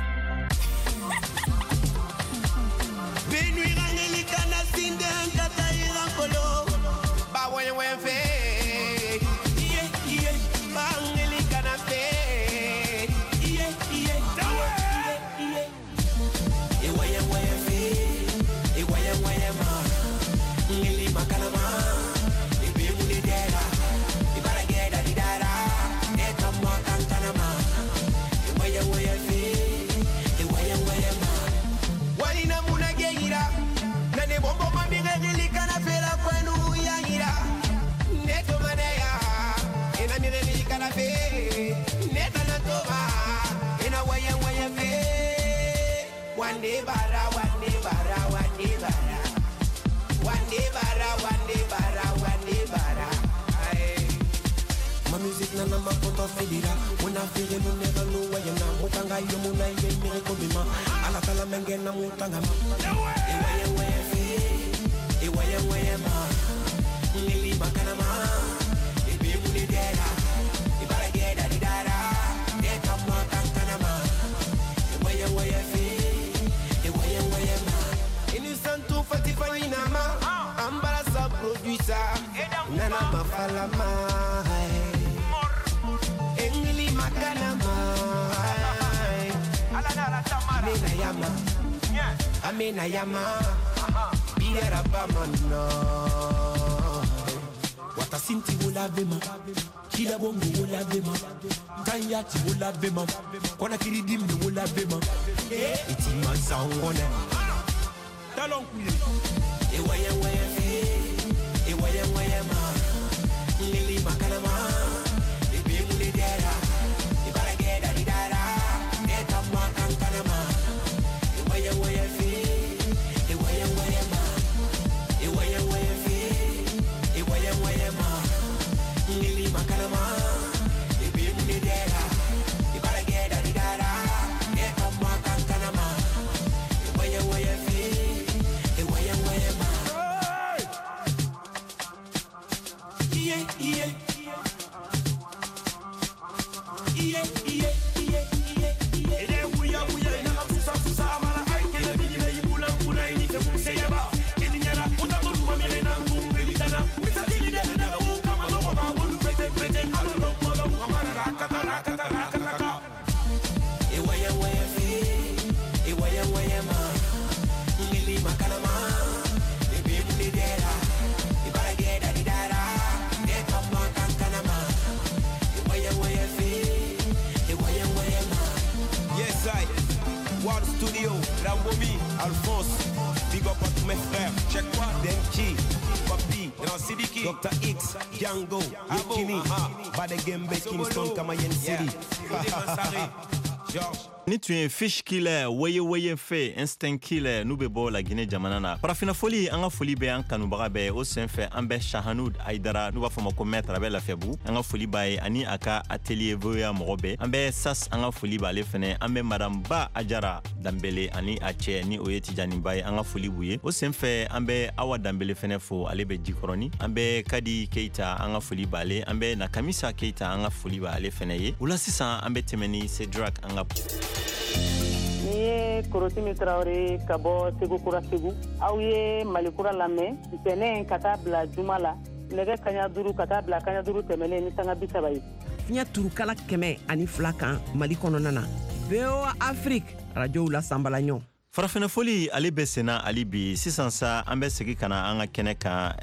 Say Rambomi, Alphonse, big up à tous mes frères. Check quoi, Denki, Papi, Grand Sidiki, Dr. X, Django, Yekini, Badegembe, Kingston, Kamayen City. George. Ni tun ye Fish Killer, Weye Weye Fe, Instinct Killer, n'u bɛ bɔ La Guinée jamana na. Farafinna foli, an ka foli bɛ an kanubaga bɛɛ. O senfɛ, an bɛ Shahanud Aidara, n'u b'a fɔ ma ko maître, a bɛ Lafiyabugu, an ka foli b'a ye ani a ka atelier VOA mɔgɔ bɛɛ. An bɛ Sas, an ka foli b'ale fɛnɛ. An bɛ madame Ba Ajara Danbele ani a cɛ, ni o ye Tijani Ba ye, an ka foli b'u ye. O senfɛ, an bɛ Awa Danbele fɛnɛ fo, ale bɛ Jikɔrɔni. An bɛ Kadi Keita, an ka foli b'ale. An bɛ Nakamisa Keita, an ka foli b'ale fɛnɛ ye. O la sisan, an bɛ tɛmɛ ni Cedric an ka Ni ye Korotimi Tarawele ka bɔ Segu Kura Segu. Aw ye Mali Kura lamɛn ntɛnɛn ka taa bila juma la, nɛgɛ kaɲa 5 ka taa bila kaɲa 5 tɛmɛnen ni sanga 30 ye. Fiɲɛ turukala 102 kan Mali kɔnɔna na, VOA Afrique rajow la sanbalaɲɔ. Farafinna foli, ale bɛ senna hali bi. Sisan sa, an bɛ segin ka na an ka kɛnɛ kan.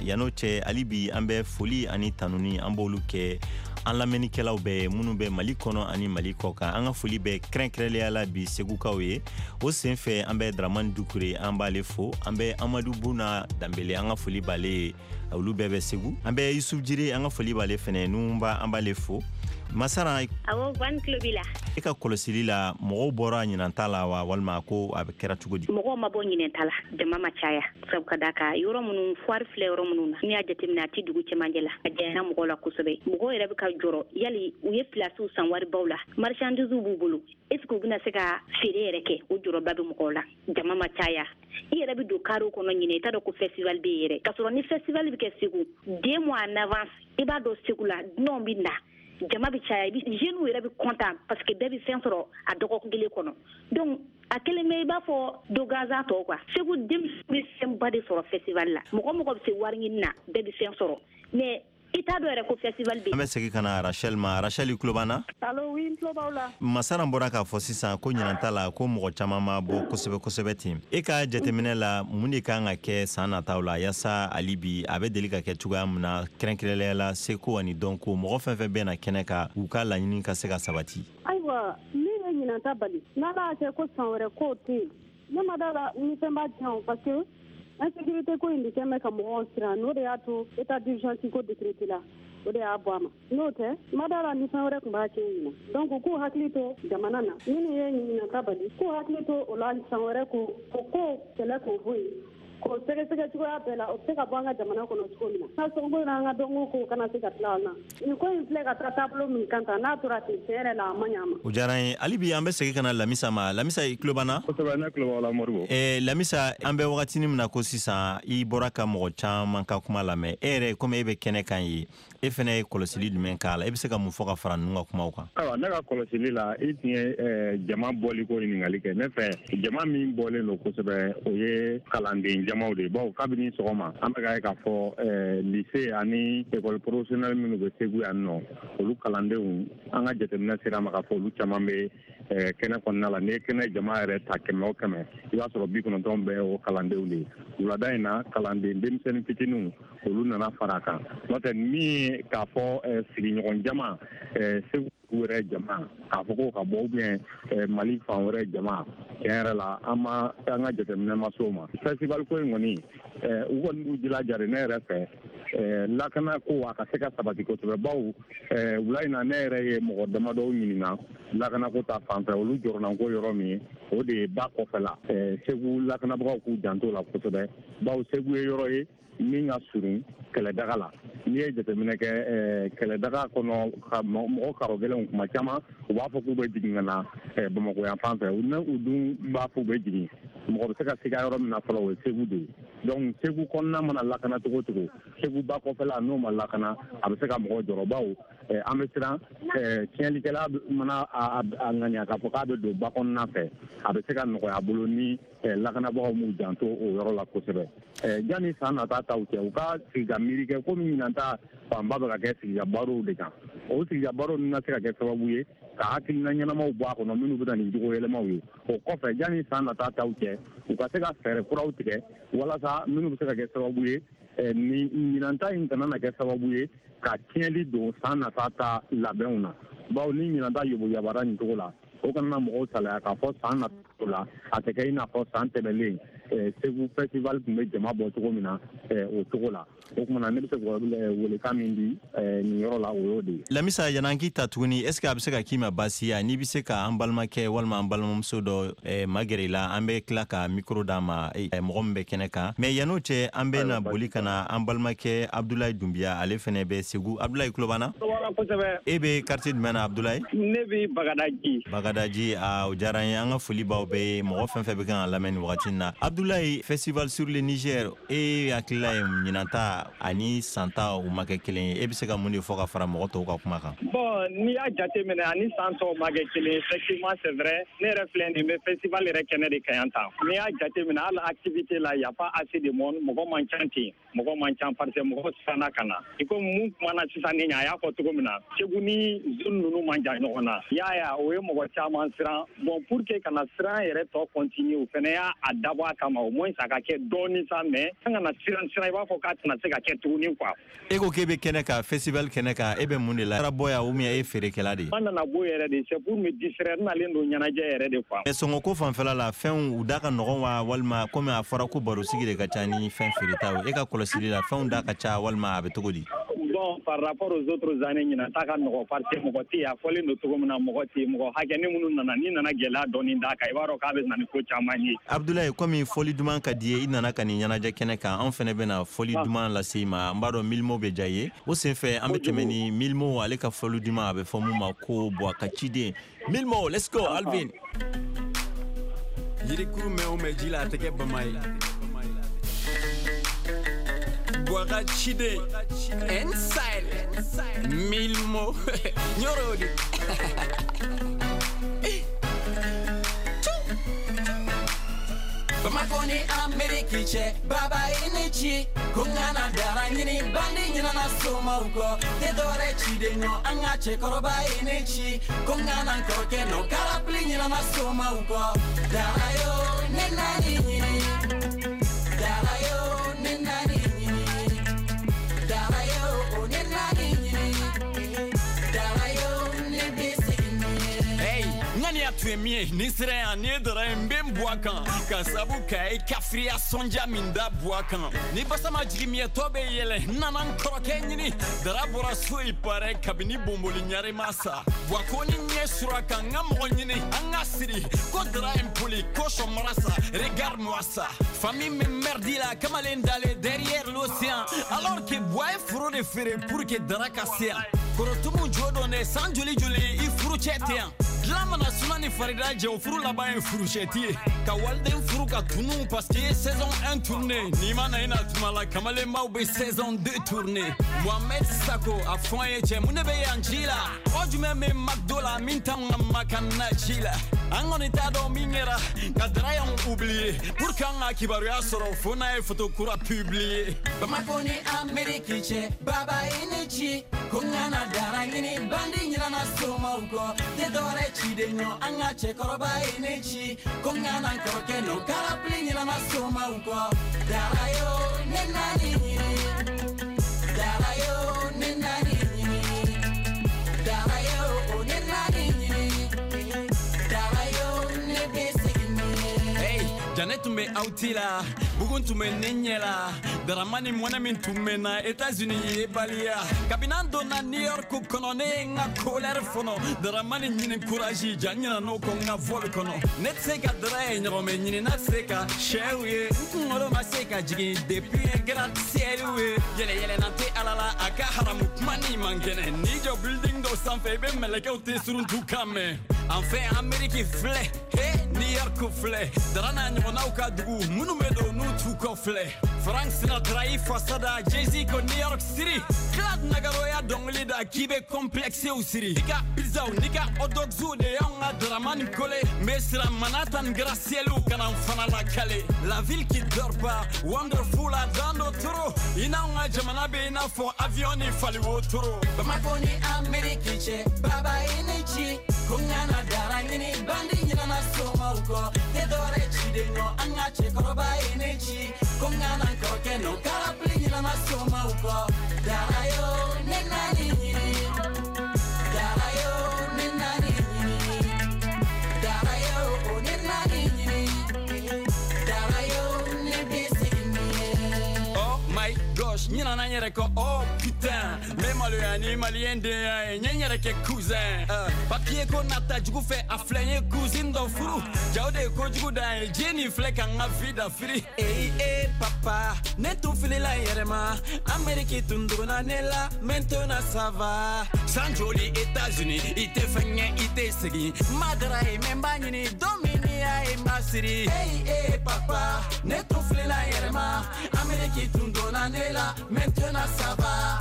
Yan'o cɛ, hali bi an bɛ foli ani tanuni, an b'olu kɛ an lamɛnnikɛlaw bɛɛ minnu bɛ Mali kɔnɔ ani Mali kɔ kan. An ka foli bɛ kɛrɛnkɛrɛnnenya la bi Segukaw ye. O senfɛ, an bɛ Dramani Dukure, an b'ale fo. An bɛ Amadu Buna Danbele, an ka foli b'ale ye, olu bɛɛ bɛ Segu. An bɛ Yusuf Jire, an ka foli b'ale fɛnɛ, Nunba, an b'ale fo. Masara. Awɔ, Van tulo b'i la. E ka kɔlɔsili la, mɔgɔw bɔra ɲinanta la wa, walima ko a bɛ kɛra cogo di? Mɔgɔw ma bɔ ɲinɛnta la, jama ma caya, sabu ka da kan yɔrɔ minnu foire filɛ, yɔrɔ minnu na, n'i y'a jateminɛ, a tɛ dugu cɛmancɛ la, a janyana mɔgɔw la kosɛbɛ. Mɔgɔw yɛrɛ bɛ ka jɔrɔ yali u ye pilasiw san waribaw la, marchandises b'u bolo, est ce que u bɛna se ka feere yɛrɛ kɛ? O jɔrɔba bɛ mɔgɔw la. Jama ma caya, i yɛrɛ bɛ don carré kɔnɔ ɲinɛ, i t'a dɔn ko festival bɛ yen yɛrɛ, k'a sɔrɔ ni festival bɛ kɛ Segu 2 mois en avance, i b'a dɔn Segu la dunanw bɛ na, jama bɛ caya, jeunes yɛrɛ bɛ content parce que bɛɛ bɛ fɛn sɔrɔ a dɔgɔkun kelen kɔnɔ. Donc a kelen bɛ i b'a fɔ do gansan tɔw quoi. Segu denmisɛnw bɛ fɛnba de sɔrɔ festival la. Mɔgɔ mɔgɔ bɛ se wari ɲini na, bɛɛ bɛ fɛn sɔrɔ, mais i t'a dɔn yɛrɛ ko festival bɛ. An bɛ segin ka na Rachel ma. Rachel, i tulo b'an na? Allo, oui, n tulo b'aw la. Masara bɔra k'a fɔ sisan ko ɲinanta la, ko mɔgɔ caman ma bɔ kosɛbɛ kosɛbɛ ten. E ka jateminɛ la, mun de kan ka kɛ san nataw la yaasa hali bi a bɛ deli ka kɛ cogoya min na, kɛrɛnkɛrɛnnenya la seko ani dɔnko, mɔgɔ fɛn fɛn bɛ na kɛnɛ kan, u ka laɲini ka se ka sabati? Ayiwa, min ye ɲinanta bali, n'Ala y'a kɛ ko san wɛrɛ k'o tɛ yen, ne ma da la ni fɛn b'a tiɲɛ o, parce que insécurité ko in de kɛn bɛ ka mɔgɔw siran. N'o de y'a to état d'urgence ko décrété la, o de y'a bɔ a ma. N'o tɛ, ma da la ni fɛn wɛrɛ tun b'a tiɲɛ ɲina. Donc k'u hakili to jamana na, minnu ye ɲinanta bali, k'u hakili to o la san wɛrɛ, ko o ko kɛlɛ k'o bɔ yen, k'o sɛgɛsɛgɛ cogoya bɛɛ la, o bɛ se ka bɔ an ka jamana kɔnɔ cogo min na, an ka sɔnko n'an ka dɔnko kow kana se ka tila an na. Nin ko in filɛ ka taa taabolo min kan tan, n'a tora ten, tiɲɛ yɛrɛ la, a ma ɲɛ a ma. O diyara n ye. Hali bi an bɛ segin ka na Lamisa ma. Lamisa, i tulo b'an na? Kosɛbɛ, ne tulo b'aw la, Moribo. Lamisa, an bɛ wagatinin min na ko sisan, i bɔra ka mɔgɔ caman ka kuma lamɛn. E yɛrɛ, komi e bɛ kɛnɛ kan ye, e fɛnɛ ye kɔlɔsili jumɛn k'a la? E bɛ se ka mun fɔ ka fara ninnu ka kumaw kan? Ayiwa, ne ka kɔlɔsili la, i tun ye jama bɔli ko ɲininkali kɛ. Ne fɛ, jama min bɔlen don kosɛbɛ, o ye kalanden jamaw de ye, bawo kabini sɔgɔma an bɛ ka ye k'a fɔ lycée ani école professionnelle minnu bɛ Segu yan nɔ, olu kalandenw, an ka jateminɛ sera ma k'a fɔ olu caman bɛ kɛnɛ kɔnɔna la. N'i ye kɛnɛ jama yɛrɛ ta 100 o 100, i b'a sɔrɔ 90 bɛɛ o kalandenw de ye. Wulada in na, kalanden denmisɛnnin fitininw, olu nana fara a kan. N'o tɛ, min ye k'a fɔ sigiɲɔgɔn jama, Segu wɛrɛ jama, k'a fɔ ko ka bɔ ou bien Mali fan wɛrɛ jama, tiɲɛ yɛrɛ la, an ma an ka jateminɛ ma s'o ma. Festival ko in kɔni, u kɔni b'u jilaja de. Ne yɛrɛ fɛ, lakana ko a ka se ka sabati kosɛbɛ, bawo wula in na, ne yɛrɛ ye mɔgɔ damadɔw ɲininka lakana ko ta fan fɛ. Olu jɔrɔnanko yɔrɔ min ye, o de ye ba kɔfɛla. Segu lakanabagaw k'u janto la kosɛbɛ, bawo Segu ye yɔrɔ ye min ka surun kɛlɛdaga la. N'i ye jateminɛ kɛ kɛlɛdaga kɔnɔ, ka mɔgɔ karɔ gɛlɛnw, kuma caman u b'a fɔ k'u bɛ jigin ka na Bamakɔ yan fan fɛ. Ne u dun b'a fɔ u bɛ jigin, mɔgɔ bɛ se ka siga yɔrɔ min na fɔlɔ, o ye Segu de ye. Donc Segu kɔnɔna mana lakana cogo o cogo, Segu ba kɔfɛla n'o ma lakana, a bɛ se ka mɔgɔ jɔrɔ, bawo an bɛ siran tiɲɛlikɛla mana a ŋaniya k'a fɔ k'a bɛ don ba kɔnɔna fɛ, a bɛ se ka nɔgɔya a bolo ni lakanabagaw m'u janto o yɔrɔ la kosɛbɛ. Janni san nata taw cɛ, u ka sigi ka miiri kɛ, komi ɲinan ta fanba bɛ ka kɛ sigika barow de kan. O sigika barow ninnu na se ka kɛ sababu ye ka hakilina ɲɛnamaw bɔ a kɔnɔ minnu bɛ na ni jogo yɛlɛmaw ye. O kɔfɛ, janni san nata taw cɛ, u ka se ka fɛɛrɛ kuraw tigɛ walasa minnu bɛ se ka kɛ sababu ye ni ɲinan ta in kana na kɛ sababu ye ka tiɲɛli don san nata ta labɛnw na, bawo ni ɲinan ta yobo yabara nin cogo la, o kana na mɔgɔw salaya k'a fɔ san nata. La a tɛ kɛ i n'a fɔ san tɛmɛlen Segu festival tun bɛ jama bɔ cogo min na o cogo la. O tuma na ne bɛ se ka welekan min di nin yɔrɔ la, o y'o de ye. Lamisa, yan'an k'i ta tuguni, est ce que a bɛ se ka k'i ma baasi ye n'i bɛ se ka an balimakɛ walima an balimamuso dɔ magɛrɛ i la, an bɛ tila ka micro d'a ma, mɔgɔ min bɛ kɛnɛ kan? Mais yann'o cɛ, an bɛ na boli ka na an balimakɛ Abdulayi Dunbiya, ale fɛnɛ bɛ Segu. Abdulayi, tulo b'an na? Kosɛbɛ. E bɛ quartier jumɛn na, Abdulayi? Ne bɛ Bagadaji. Bagadaji, o diyara n ye. An ka foli b'aw bɛɛ ye, mɔgɔ fɛn fɛn bɛ kan ka lamɛn nin wagati in na. Abdulayi, festival sur le Niger, e hakilila ye ɲinan ta ani san ta u ma kɛ kelen ye, e bɛ se ka mun de fɔ ka fara mɔgɔ tɔw ka kuma kan? Bon, n'i y'a jateminɛ, ani san tɔw ma kɛ kelen, effectivement c'est vrai. Ne yɛrɛ filɛ nin bɛ festival yɛrɛ kɛnɛ de kan yan tan. N'i y'a jateminɛ, hali activité la, y a pas assez de monde, mɔgɔ man ca ten, mɔgɔ man ca parce que mɔgɔ siranna ka na. I komi mun kumana sisan ni a y'a fɔ cogo min na, Segu ni zone ninnu man jan ɲɔgɔn na, i y'a ye, o ye mɔgɔ caman siran. Bon, pour que kana siran yɛrɛ tɔ continuer, o fɛnɛ y'a a dabɔ a kama, au moins a ka kɛ dɔɔni sa, mais an kana siran siran i b'a fɔ k'a tɛna se ka kɛ tuguni quoi. E ko k'e bɛ kɛnɛ kan, festival kɛnɛ kan, e bɛ mun de la? E bɔ yan ou bien e ye feerekɛla de ye? An nana bɔ yɛrɛ de, c'est pour me distraire, n nalen don ɲɛnajɛ yɛrɛ de quoi. Mais sɔngɔko fanfɛla la, fɛnw u da ka nɔgɔn wa, walima komi a fɔra ko barosigi de ka ca ni fɛn feeretaw ye, e ka kɔlɔsili la, fɛnw da ka ca walima a bɛ cogo di? Bon, par rapport aux autres années, ɲinan ta ka nɔgɔ parce que mɔgɔ tɛ yen. A fɔlen don cogo min na, mɔgɔ tɛ yen, mɔgɔ hakɛ ni minnu nana, n'i nana gɛlɛya dɔɔni d'a kan, i b'a dɔn k'a bɛ na ni ko caman ye. Abdulayi, komi fɔli duman ka di ye, i nana ka nin ɲɛnajɛ kɛnɛ kan, anw fɛnɛ bɛna fɔli duman lase i ma. N b'a dɔn Milimo bɛ diya i ye. O senfɛ, an bɛ tɛmɛ ni Milimo ale ka fɔli duman, a bɛ fɔ mun ma ko Buwa ka ciden. Milimo, let's go. Alvin. Yirikuru mɛn o mɛn ji la, a tɛ kɛ bama ye. Buwa ka ciden N-Style Milmo Ɲɔrɔ de. Bamako ni Ameriki cɛ, baba i ni ci. Ko n kana dara ɲini, bandi ɲinana somaw kɔ. Tɛ dɔwɛrɛ ciden nɔ, an ka cɛkɔrɔba i ni ci. Ko n kana n kɔrɔkɛ nɔ, karapili ɲinana somaw kɔ. Dara yo, ne nani ɲini. Dara yo, ne nani ɲini. Dara yo, ne nani ɲini. Dara yo, ne bɛ segin ni ye. Hey, ŋaniya tun ye min ye, ni sera yan, ni ye dara ye, n bɛ n bɔ a kan ka sabu ka ye kafiriya sɔnja min da bɔ a kan ni basa ma jigin min ye, tɔ bɛ yɛlɛ. N nana n kɔrɔkɛ ɲini, dara bɔra so i parɛ kabini bonboli ɲare ma sa wa ko ni ɲɛ sura kan n ka mɔgɔ ɲini an ka siri ko dara impoli ko sɔmara sa. Regarde-moi ça, famille me merdi la kamalen dalen derrière l'océan, alors que Buwa ye foro de feere pour que dara ka se yan. Korotumu jo dɔn dɛ, san joli joli i furu cɛ tɛ yan. Dilan mana suma ni farida jɛ, o furu laban ye furushɛti ye ka waliden furu ka tunu parce que i ye saison 1 tourné. N'i ma na i na tuma la, kamalenbaw bɛ saison 2 tourné. Mohamed Sako a fɔ an ye, cɛ mun de bɛ yan ci la? Mɔgɔ jumɛn bɛ McDo la min t'anw ka makan na ci la? An kɔni t'a dɔn min kɛra ka dara y'anw oublié pour que an ka kibaruya sɔrɔ fo n'a ye photo kura publié. Bamako ni Ameriki cɛ, baba i ni ci. Ko n kana dara ɲini, bandi ɲinana somaw kɔ. Tɛ dɔwɛrɛ ciden nɔ, an ka cɛkɔrɔba i ni ci. Ko n kana n kɔrɔkɛ nɔ, karapili ɲinana somaw kɔ. Dara yo, ne nani ɲini. Dara yo, ne nani ɲini. Dara yo, ne nani ɲini. Dara yo, ne bɛ segin ni ye. Hey, Janet tun bɛ awti la, bugun tun bɛ ne ɲɛ la, Daramani mɔnɛ min tun bɛ na États-Unis ye baliya. Kabini an donna New York kɔnɔ, ne ye n ka colère fɔnɔ. Daramani ɲini courage, ja n ɲinɛ n'o kɔ n ka vol kɔnɔ. Ne tɛ se ka dara ye ɲɔgɔnmɛ ɲini, n'a tɛ se ka sɛw ye. N kunkolo ma se ka jigin depuis ye gratte-ciel ye. Yɛlɛ yɛlɛnna tɛ Ala la, a ka haramu kuma ni man kɛnɛ. N'i jɔ building dɔ sanfɛ, i bɛ mɛlɛkɛw tɛ suruntu kan mɛn. Enfin, Amérique filɛ, he, New York filɛ, dara n'a ɲɔgɔnnaw ka dugu minnu bɛ don n'u t'u kɔ filɛ. Frank Sinatra i fasa da, Jay-Z ko New York City. Clad Nagaroya dɔnkili da k'i bɛ complexew siri. I ka pizzaw n'i ka hot dogsw de y'anw ka Daramani kole. N bɛ siran Manhattan gratte-ciel kana n fana lakale. La ville qui dort pas, wonderful a dan dɔ toro. I n'anw ka jamana bɛ i n'a fɔ avion ni fali wotoro. Bamako ni Ameriki cɛ, baba i ni ci. Ko n kana dara ɲini, bandi ɲinana somaw kɔ. Tɛ dɔwɛrɛ ciden nɔ, an ka cɛkɔrɔba i ni ci. Ko n kana n kɔrɔkɛ nɔ, karapili ɲinana somaw kɔ. Dara yo, ne nani ɲini. Dara yo, ne nani ɲini. Dara yo, ne nani ɲini. yɛrɛ kɔ oh putain n bɛ maloya ni maliyɛn denya ye n ye n yɛrɛ kɛ cousin papier ko nata jugu fɛ a filɛ n ye cousine dɔ furu jaw de ye kojugu dan ye diɲɛ nin filɛ ka n ka vie dafiri eyi e papa ne tun filila n yɛrɛ ma Amérique tun dogona ne la maintenant ça va san joli États-Unis i tɛ fɛn ɲɛ i tɛ segin n ma dara ye mɛ n b'a ɲini don min n'i y'a ye n b'a siri eyi e papa ne tun filila n yɛrɛ ma Amérique tun donna ne la maintenant ça va.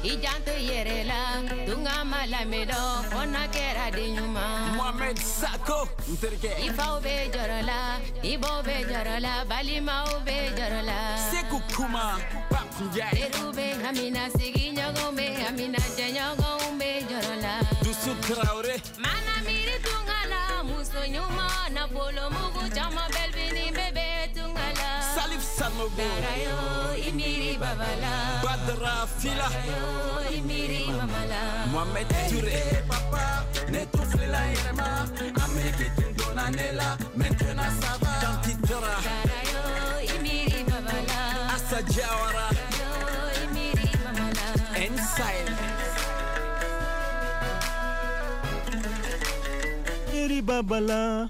I janto yɛrɛ la tunga ma lamɛdɔ fo n'a kɛra den ɲuman. Mohamed Sako n terikɛ. I faw bɛ jɔrɔ la i baw bɛ jɔrɔ la balimaw bɛ jɔrɔ la. Seku Kuma Pape Ndiaye. Teriw bɛ hamina sigiɲɔgɔnw bɛ hamina jɛɲɔgɔnw bɛ jɔrɔ la. Dusu Traoré. Mana miiri tunga la muso ɲuman nafolo mugu caman bɛlbini bɛɛ bɛ tunga la. Salif Sanogo. Darayo i miiri baba la. Badra Fila. Darayo i miiri mama la. Mohamed Touré. Hey, papa ne tun filila n yɛrɛ ma Amérique tun donna ne la maintenant ça va. Kanti Dara. Darayo i miiri baba la. Assa Diawara. Darayo i miiri mama la. Inside. Miri babala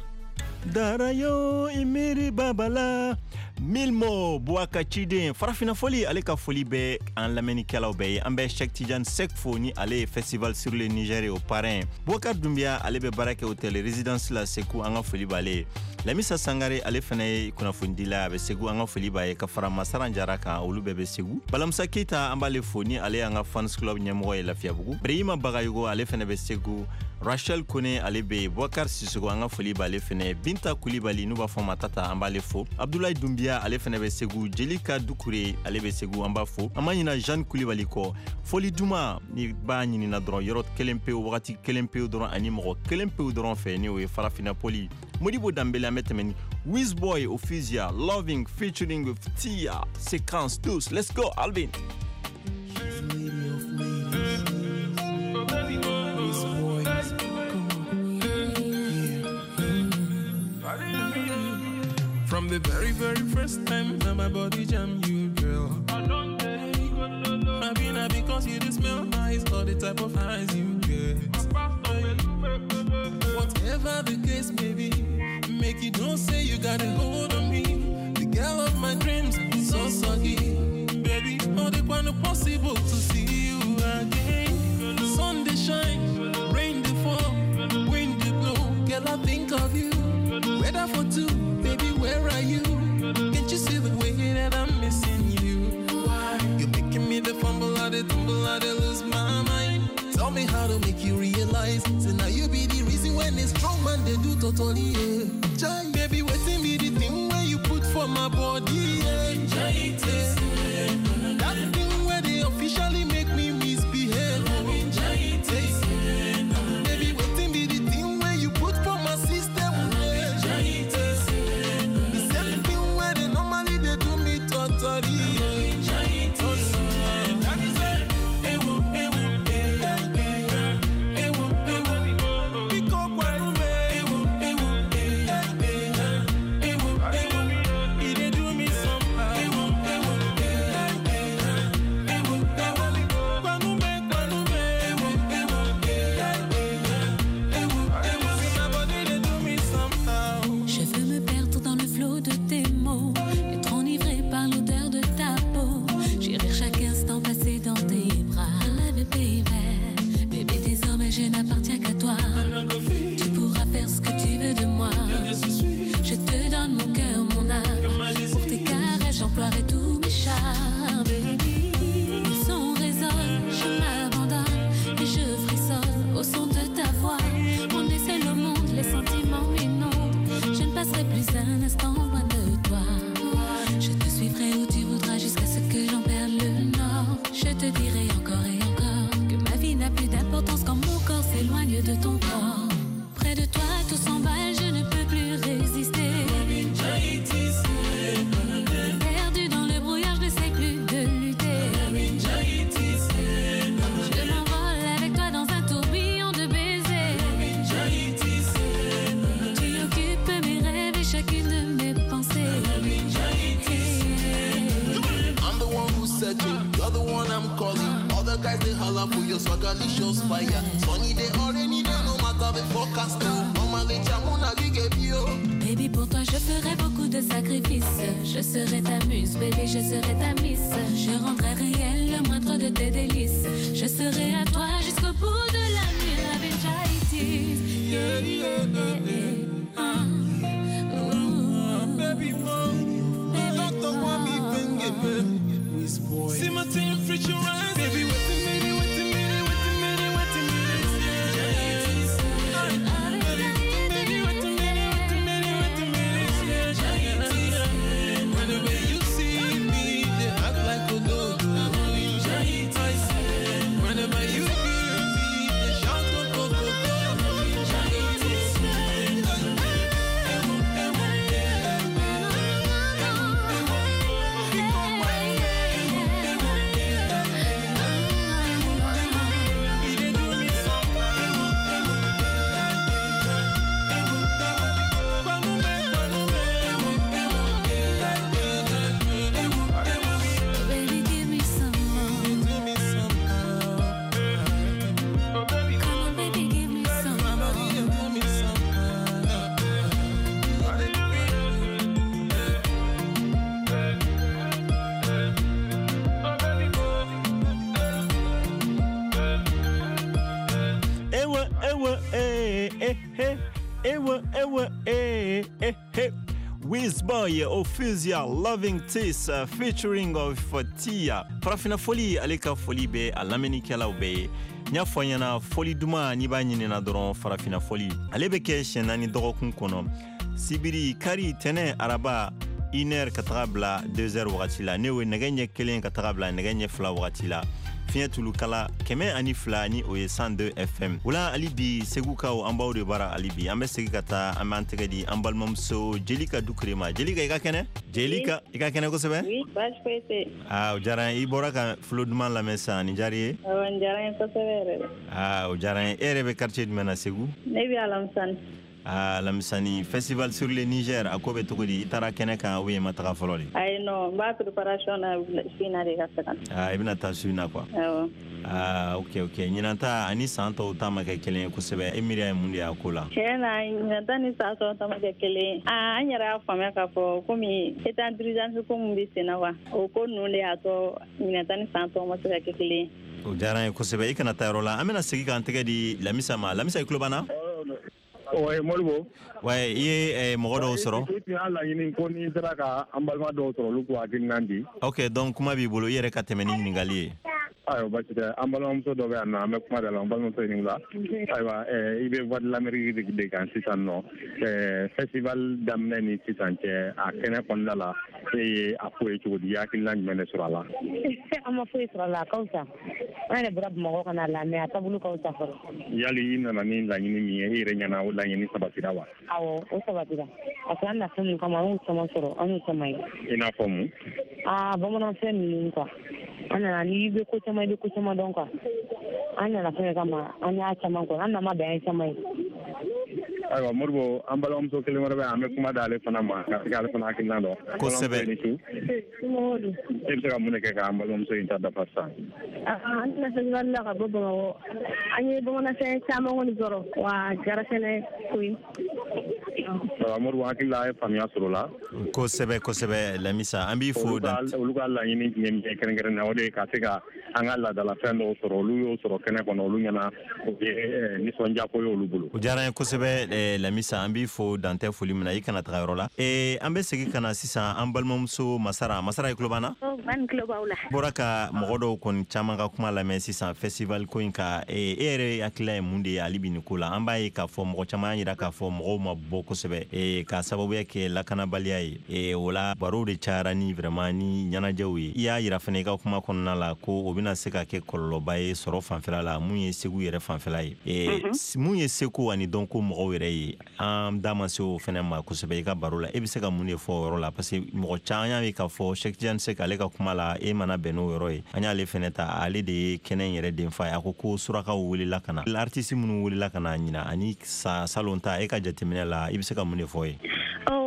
Darayo i miiri babala Milmo Buaka Ciden farafina foli ale ka foli bɛ an lamɛnnikɛlaw bɛɛ ye an bɛ Cheikh Tidiane Seck fo ni ale ye festival sur le Niger o parrain Boubacar Doumbia ale bɛ baara kɛ hôtel résidence la Segu an ka foli b'ale ye Lamisa Sangare ale fana ye kunnafonidila a bɛ Segu an ka foli b'a ye ka fara Masaran Jara kan olu bɛɛ bɛ Segu Balamusa Keita an b'ale fo ni ale y'an ka fans club ɲɛmɔgɔ ye Lafiyabugu Brehima Bagayogo ale fana bɛ Segu Rachel Kone ale bɛ yen Boubacar Sissoko an ka foli b'ale fana Binta Kulibali n'u b'a fɔ ma Tata an b'ale fo Abdoulaye Doumbia ale fana bɛ Segu Jelika Dukure ale bɛ Segu an b'a fo an ma ɲina Jeanne Kulibali kɔ foli duman ni b'a ɲinina dɔrɔn yɔrɔ kelen pewu wagati kelen pewu dɔrɔn ani mɔgɔ kelen pewu dɔrɔn fɛ ni o ye Farafina Poli Modibo Dambele an bɛ tɛmɛ ni Wizboy Ofisia Loving featuring with Tia Séquence 12. Let's go Alvin. From the very, very first time that my body jam you, girl. I been because you just smell nice, all the type of eyes you get. Whatever the case may be, make you don't say you got a hold on me. The girl of my dreams, so soggy. Baby, all the one possible to see you again. Sun they shine, rain they fall, wind they blow. Girl, I think of you. Weather for two, baby, where are you? Can't you see the way that I'm missing you? Why? You're making me the fumble, I the tumble, I the lose my mind. Tell me how to make you realize. So now you be the reason when it's strong man they do totally, yeah. Jai, baby, waiting be the thing where you put for my body, yeah. Jai, yeah. That thing where they officially make me misbehave. Jai, yeah. Baby, waiting be the thing where you put for my system, yeah. Jai, yeah. The same thing where they normally they do me totally, yeah. Jai, yeah. That is it. Je veux me perdre dans le flot de tes mots, être enivré par l'odeur de ta peau. Chérir chaque instant passé dans tes bras. I love you, baby. Bébé, désormais je n'appartiens qu'à toi. Tu pourras faire ce que tu veux de moi. Je te donne mon cœur, mon âme. Pour tes caresses, j'emploierai tous mes charmes. Baby, le son résonne, je m'abandonne et je frissonne au son de ta voix. On est seul au monde, les sentiments m'inondent. Je ne passerai plus un instant loin de toi. Je te suivrai où tu voudras jusqu'à ce que j'en perde le nord. Je te dirai encore et encore que ma vie n'a plus d'importance quand mon corps s'éloigne. Swagalicious fire. Sunny day or rainy day, no matter the forecast. Normally, Jamuna, we give you. Baby, pour toi, je ferai beaucoup de sacrifices. Je serai ta muse, baby, je serai ta miss. Je rendrai réel le moindre de tes délices. Je serai à toi jusqu'au bout de la nuit. Avec Jaitis. Yeah, yeah, yeah, yeah. Baby, don't want me, see my team, preach your eyes. Baby, wait a minute, wait a minute, wait a minute, wait a minute. Baby, wait a minute, wait a minute, wait a minute. Whenever you see me, they act like a dog. Whenever you hear me, they shout go go go go. Baby, give me some more. Give me some more. Come on, baby, give me some more. Give me some Ewa, ewa, eh, eh, eh. Ewa, ewa, eh, eh, eh. Wizboy Ofuzia Loving Taste featuring of Tia. Farafina foli ale ka foli bɛ a lamɛnnikɛlaw bɛɛ ye. N y'a fɔ ɲɛna foli duman n'i b'a ɲinina dɔrɔn farafina foli ale bɛ kɛ siɲɛ 4 dɔgɔkun kɔnɔ, sibiri, kari, tɛnɛ, araba, 1h ka taga bila 2h wagati la, n'o ye nɛgɛ ɲɛ 1 ka taga bila nɛgɛ ɲɛ 2 wagati la, fiɲɛ tulukala 102 ni o ye 102 FM. Wula hali bi Segukaw an b'aw de bara hali bi. An bɛ segin ka taa an b'an tɛgɛ di an balimamuso Jelika Dukure ma. Jelika, i ka kɛnɛ? Jelika, i ka kɛnɛ kosɛbɛ? Oui, baasi foyi tɛ yen. Aa, o diyara n ye. I bɔra ka fulo duman lamɛn sisan, nin diyara i ye? Awɔ, nin diyara n ye kosɛbɛ yɛrɛ de. Aa, o diyara n ye. E yɛrɛ bɛ quartier jumɛn na Segu? Ne bɛ Alamisani. Aa, Lamisani, festival sur le Niger, a ko bɛ cogo di? I taara kɛnɛ kan ou bien i ma taga fɔlɔ de? Ayi, non, n b'a préparation na su in na de ka se ka na. Aa, i bɛna taa su in na quoi. Awɔ. Aa, ok, ok. Ɲinan ta ani san tɔw ta ma kɛ kelen ye kosɛbɛ. E miiriya ye mun de y'a ko la? Tiɲɛ na, ɲinan ta ni san tɔw ta ma kɛ kelen ye. Aa, an yɛrɛ y'a faamuya k'a fɔ komi état d'urgence ko mun bɛ sen na quoi, o ko ninnu de y'a to ɲinan ta ni san tɔw ma se ka kɛ kelen ye. O diyara n ye kosɛbɛ. I kana taa yɔrɔ la. An bɛna segin k'an tɛgɛ di Lamisa ma. Lamisa, i tulo b'an na? Ouais, Moribo. Ouais, i ye mɔgɔ dɔw sɔrɔ? I tun y'a laɲini ko n'i sera ka an balima dɔw sɔrɔ, olu k'u hakilina di. Ok, donc kuma b'i bolo, i yɛrɛ ka tɛmɛ ni ɲininkali ye. Ayiwa, baasi tɛ. An balimamuso dɔ bɛ yan nɔ, an bɛ kuma da la. An balimamuso ɲininka la. Ayiwa, i bɛ Voix de l'Amérique de kan sisan nɔ. Festival daminɛ ni sisan cɛ, a kɛnɛ kɔnɔna la, e ye a ko ye cogo di? I ye hakilina jumɛn de sɔrɔ a la? An ma foyi sɔrɔ a la, a ka fisa. An yɛrɛ bɔra Bamakɔ ka na lamɛn, a taabolo ka fisa fɔlɔ. Yali i nana ni laɲini min ye, e yɛrɛ ɲɛna o laɲini sabatira wa? Awɔ, o sabatira. Parce que an na fɛn min kama, an y'o caman sɔrɔ, an y'o caman ye. I n'a fɔ mun? Aa, bamananfɛn ninnu quoi. An nana n'i bɛ ko caman, i bɛ ko caman dɔn quoi. An nana fɛn kama, an y'a caman kɔnɔ, an nana bɛn an ye caman ye. Ayiwa, Moribo, an balimamuso kelen wɛrɛ bɛ yan, an bɛ kuma d'ale fana ma ka se k'ale fana hakilina dɔn. Kosɛbɛ. E bɛ se ka mun de kɛ k'an balimamuso in ta dafa sisan? An nana festival la ka bɔ Bamakɔ. An ye bamananfɛn caman kɔni sɔrɔ, wa a diyara fɛnɛ koyi. Ayiwa, Moribo, hakili la a ye faamuya sɔrɔ o la. Kosɛbɛ, kosɛbɛ, Lamisa, an b'i fo. Olu ka laɲini tun ye min ye kɛrɛnkɛrɛnnenya, o de ye ka se ka an ka laadalafɛn dɔw sɔrɔ. Olu y'o sɔrɔ kɛnɛ kɔnɔ, olu ɲɛna o ye nisɔndiyako ye olu bolo. O diyara n ye kosɛbɛ, Lamisa, an b'i fo dantɛ foli min na. I kana taga yɔrɔ la. An bɛ segin ka na sisan an balimamuso Masara. Masara, i tulo b'an na? An tulo b'aw la. Bɔra ka mɔgɔ dɔw kɔni caman ka kuma lamɛn sisan festival ko in kan. E yɛrɛ hakilila ye mun de ye hali bi nin ko la? An b'a ye k'a fɔ mɔgɔ caman y'a jira k'a fɔ mɔgɔw ma bɔ kosɛbɛ, k'a sababuya kɛ lakanabaliya ye. O la barow de cayara ni vraiment ni ɲɛnajɛw ye. I y'a jira fana i ka kuma kɔnɔna la ko o bɛna se ka kɛ kɔlɔlɔba ye sɔrɔ fanfɛla la, mun ye Segu yɛrɛ fanfɛla ye. Mun ye seko ani dɔnko mɔgɔw yɛrɛ ye, an da ma se o fɛnɛ ma kosɛbɛ i ka baro la. E bɛ se ka mun de fɔ o yɔrɔ la? Parce que mɔgɔ caman y'a ye k'a fɔ Cheikh Tidiane Seck ale ka kuma la, e mana bɛn n'o yɔrɔ ye. An y'ale fɛnɛ ta, ale de ye kɛnɛ in yɛrɛ denfa ye. A ko ko surakaw welela ka na, artiste minnu welela ka na ɲina ani salon ta, e ka jateminɛ la, i bɛ se ka mun de fɔ ye?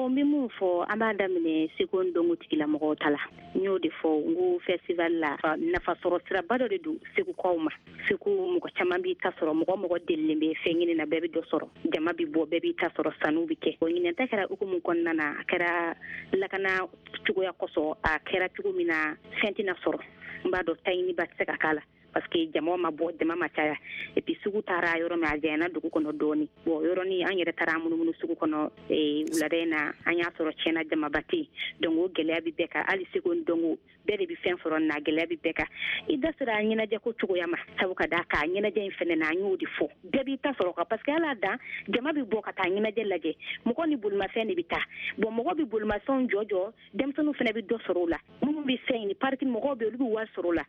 Bon, n bɛ mun fɔ, an b'a daminɛ seko ni dɔnko tigilamɔgɔw ta la. N y'o de fɔ, n ko festival la, nafa sɔrɔ siraba dɔ de don segukaw ma. Segu mɔgɔ caman b'i ta sɔrɔ, mɔgɔ mɔgɔ delilen bɛ fɛn ɲini na, bɛɛ bɛ dɔ sɔrɔ, jama bɛ bɔ, bɛɛ b'i ta sɔrɔ, sanu bɛ kɛ. Bon, ɲinɛn ta kɛra hukumu kɔnɔna na, a kɛra lakana cogoya kosɔn, a kɛra cogo min na fɛn tɛna sɔrɔ. N b'a dɔn taɲiniba tɛ se ka k'a la, parce que jama ma bɔ, jama ma caya, et puis sugu taara yɔrɔ min, a janyana dugu kɔnɔ dɔɔni. Bon, yɔrɔnin an yɛrɛ taara an munumunu sugu kɔnɔ wulada in na, an y'a sɔrɔ tiɲɛna jamaba tɛ yen. Donc o gɛlɛya bɛ bɛɛ kan, hali seko ni dɔnko bɛɛ de bɛ fɛn sɔrɔ na, gɛlɛya bɛ bɛɛ kan. I da sera ɲɛnajɛ ko cogoya ma, sabu ka d'a kan ɲɛnajɛ in fɛnɛ na, an y'o de fɔ, bɛɛ b'i ta sɔrɔ kan, parce que ala dan jama bɛ bɔ ka taa ɲɛnajɛ lajɛ, mɔgɔ ni bolimafɛn de bɛ taa. Bon, mɔgɔ bɛ bolimafɛnw jɔ jɔ, denmisɛnninw fɛnɛ bɛ dɔ sɔrɔ o la, minnu bɛ fɛn ɲini, pariki mɔgɔw bɛ, olu bɛ wari sɔrɔ o la,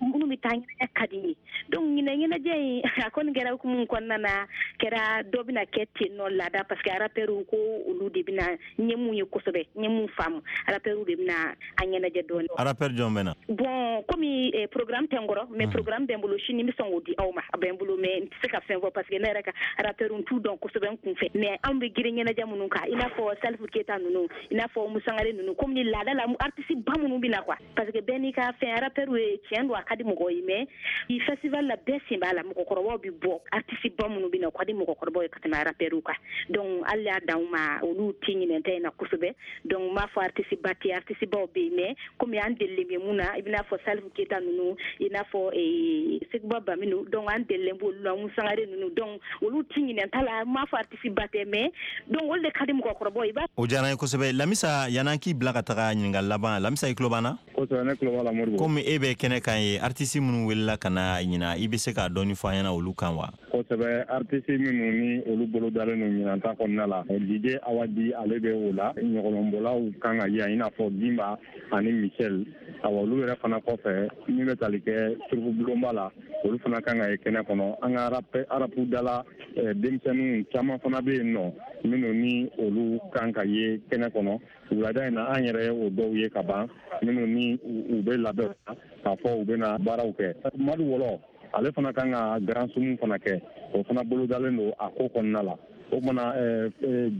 minnu bɛ taa ɲɛnajɛ ka di ye. Donc ɲinɛ ɲɛnajɛ in a kɔni kɛra hukumu kɔnɔna na, kɛra dɔ bɛna kɛ ten nɔ laada, parce que rappeurs ko olu de bɛna n ye mun ye kosɛbɛ, n ye mun faamu, rappeurs de bɛna a ɲɛnajɛ dɔɔni. Rappeur jɔn bɛ na? Bon, komi programme tɛ n kɔrɔ, mais programme bɛ n bolo, sini n bɛ sɔn k'o di aw ma, a bɛ n bolo, mais n tɛ se ka fɛn fɔ parce que ne yɛrɛ ka rappeur n t'u dɔn kosɛbɛ n kun fɛ, mais anw bɛ girin ɲɛnajɛ minnu kan, i n'a fɔ Salifu Keyita ninnu, i n'a fɔ Umu Sangare ninnu, komi ni laada la artiste ba minnu bɛ na quoi, parce que bɛɛ n'i ka fɛn, rappeur ye tiɲɛ don, a ka di mɔgɔw ye, mais i festival la bɛɛ sen b'a la, mɔgɔkɔrɔbaw bɛ bɔ, artiste ba minnu bɛ na, o ka di mɔgɔkɔrɔbaw ye ka tɛmɛ rappeur kan. Donc hali y'a dan u ma, olu tɛ ɲinɛ ta in na kosɛbɛ. Donc n b'a fɔ artiste ba tɛ, artiste baw bɛ yen, mais komi an delilen bɛ mun na, i bɛna fɔ Salifu Keyita ninnu, i n'a fɔ Seguba Baminu, donc an delilen b'olu la, Umu Sangare ninnu, donc olu tɛ ɲinɛ ta la. N m'a fɔ artiste ba tɛ, mais donc olu de ka di mɔgɔkɔrɔbaw ye. O diyara n ye kosɛbɛ. Lamisa, yan'an k'i bila ka taga ɲininkali laban, Lamisa, i tulo b'an na? Kosɛbɛ, ne tulo b'a la, Modibo. Komi e bɛ kɛnɛ kan ye, artiste minnu welela ka na ɲina, i bɛ se k'a dɔɔni fɔ an ɲɛna olu kan wa? Kosɛbɛ, artiste minnu ni olu bolo dalen don ɲinan ta kɔnɔna la, DJ Awadi ale bɛ o la, ɲɔgɔlɔnbɔlaw kan ka yan, i n'a fɔ Gimba ani Michel. Awa, olu yɛrɛ fana kɔfɛ, min bɛ tali kɛ suruku bulonba la, olu fana kan ka ye kɛnɛ kɔnɔ. An ka rap dala denmisɛnninw caman fana bɛ yen nɔ, minnu ni olu kan ka ye kɛnɛ kɔnɔ wulada in na. An yɛrɛ ye o dɔw ye ka ban, minnu ni u bɛ labɛn k'a fɔ u bɛna baaraw kɛ. Madu Wɔlɔ ale fana kan ka grand sumu fana kɛ, o fana bolodalen don a ko kɔnɔna la. O kumana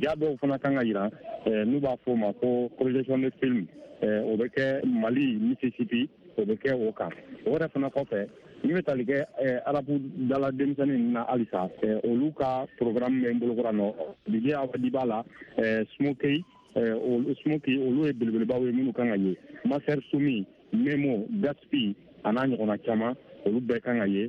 ja dɔw fana kan ka yira, n'u b'a fɔ o ma ko projection de film, o bɛ kɛ Mali Mississippi, o bɛ kɛ o kan. O yɛrɛ fana kɔfɛ, min bɛ tali kɛ arabu dala denmisɛnnin ninnu na halisa, olu ka programme bɛ n bolokɔrɔ nɔ. DJ Awadi b'a la, Smokey, Smokey, olu ye belebelebaw ye minnu kan ka ye, Master Sumi, Memo, Gaspi a n'a ɲɔgɔnna caman, olu bɛɛ kan ka ye.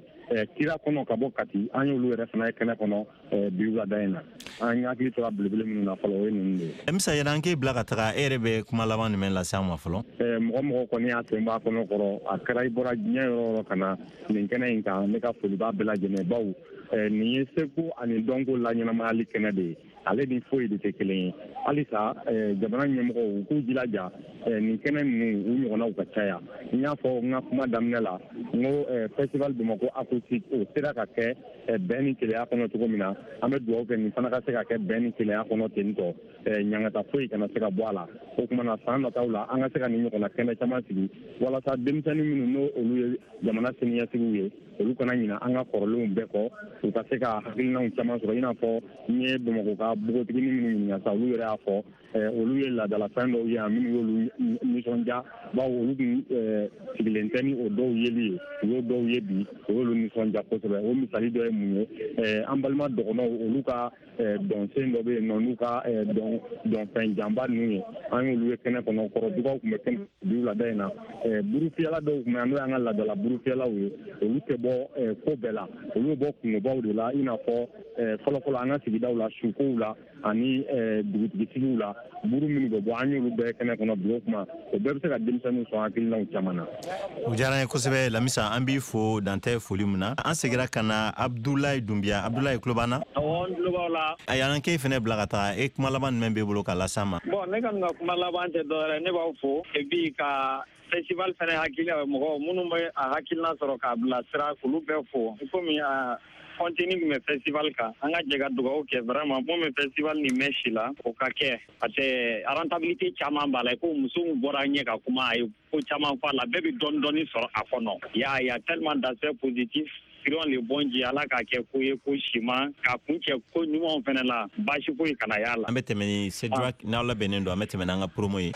Kira kɔnɔ ka bɔ Kati, an y'olu yɛrɛ fana ye kɛnɛ kɔnɔ bi wulada in na. An hakili tora belebele minnu na fɔlɔ, o ye ninnu de ye. Misa, yan'an k'e bila ka taga, e yɛrɛ bɛ kuma laban jumɛn lase an ma fɔlɔ? Mɔgɔ kɔni y'a sen b'a kɔnɔ kɔrɔ, a kɛra i bɔra diɲɛ yɔrɔ o yɔrɔ ka na nin kɛnɛ in kan, ne ka foli b'a bɛɛ lajɛlen, bawo nin ye seko ani dɔnko laɲɛnamayali kɛnɛ de ye, ale ni foyi de tɛ kelen ye. Halisa jamana ɲɛmɔgɔw u k'u jilaja nin kɛnɛ ninnu u ɲɔgɔnnaw ka caya. N y'a fɔ n ka kuma daminɛ la, n ko festival Bamakɔ acoustique o sera ka kɛ bɛn ni kelenya kɔnɔ cogo min na, an bɛ dugawu kɛ nin fana ka se ka kɛ bɛn ni kelenya kɔnɔ ten tɔ, ɲangata foyi kana se ka bɔ a la. O tuma na san nataw la, an ka se ka nin ɲɔgɔnna kɛnɛ caman sigi walasa denmisɛnnin minnu n'o olu ye jamana siniɲɛsigiw ye, olu kana ɲina an ka kɔrɔlenw bɛɛ kɔ, u ka se ka hakilinaw caman sɔrɔ. I n'a fɔ n ye Bamakɔ ka npogotiginin minnu ɲininka sa, olu yɛrɛ y'a fɔ olu ye laadalafɛn dɔw ye yan minnu y'olu nisɔndiya, bawo olu tun sigilen tɛ ni o dɔw yeli ye, u y'o dɔw ye bi, o y'olu nisɔndiya kosɛbɛ. O misali dɔ ye mun ye, an balima dɔgɔnɔw olu ka dɔnsen dɔ bɛ yen nɔ, n'u ka dɔnfɛn janba ninnu ye, an y'olu ye kɛnɛ kɔnɔ. Kɔrɔdugaw tun bɛ kɛnɛ bi wulada in na, burufiyɛla dɔw tun bɛ yan, n'o y'an ka laadala burufiyɛlaw ye, olu tɛ bɔ ko bɛɛ la, olu bɛ bɔ kungobaw de la, i n'a fɔ fɔlɔfɔlɔ an ka sigidaw la, sukow la ani dugutigi la, buru minnu bɛ bɔ, an y'olu bɛɛ kɛnɛ kɔnɔ bi. O kuma o bɛɛ bɛ se ka denmisɛnninw sɔn hakilinaw caman na. O diyara n ye kosɛbɛ Lamisa, an b'i fo dantɛ foli min na. An seginna ka na Abudulayi Dunbiya. Abudulayi, tulo b'an na? Awɔ, n tulo b'aw la. A y'an k'e fɛnɛ bila ka taga, e kuma laban jumɛn b'e bolo k'a las'an ma? Bon, ne kɔni ka kuma laban tɛ dɔwɛrɛ, ne b'aw fo et puis ka festival fɛnɛ hakili mɔgɔ minnu bɛ a hakilina sɔrɔ k'a bila sira, k'olu bɛɛ fo. Komi a contenu min bɛ festival kan, an ka jɛ ka dugawu kɛ vraiment mun bɛ festival nin mɛn si la, o ka kɛ, parce que rentabilité caman b'a la. I ko muso min bɔra ɲɛ ka kuma, a ye ko caman fɔ a la, bɛɛ bɛ dɔɔni dɔɔni sɔrɔ a kɔnɔ. Y a tellement d'aspects positifs. Prions le bon Dieu, Ala k'a kɛ ko ye ko siman k'a kuncɛ ko ɲumanw fɛnɛ la, baasi foyi kana y'a la. An bɛ tɛmɛ ni Cédric, n'aw labɛnnen don, an bɛ tɛmɛ n'an ka promo ye.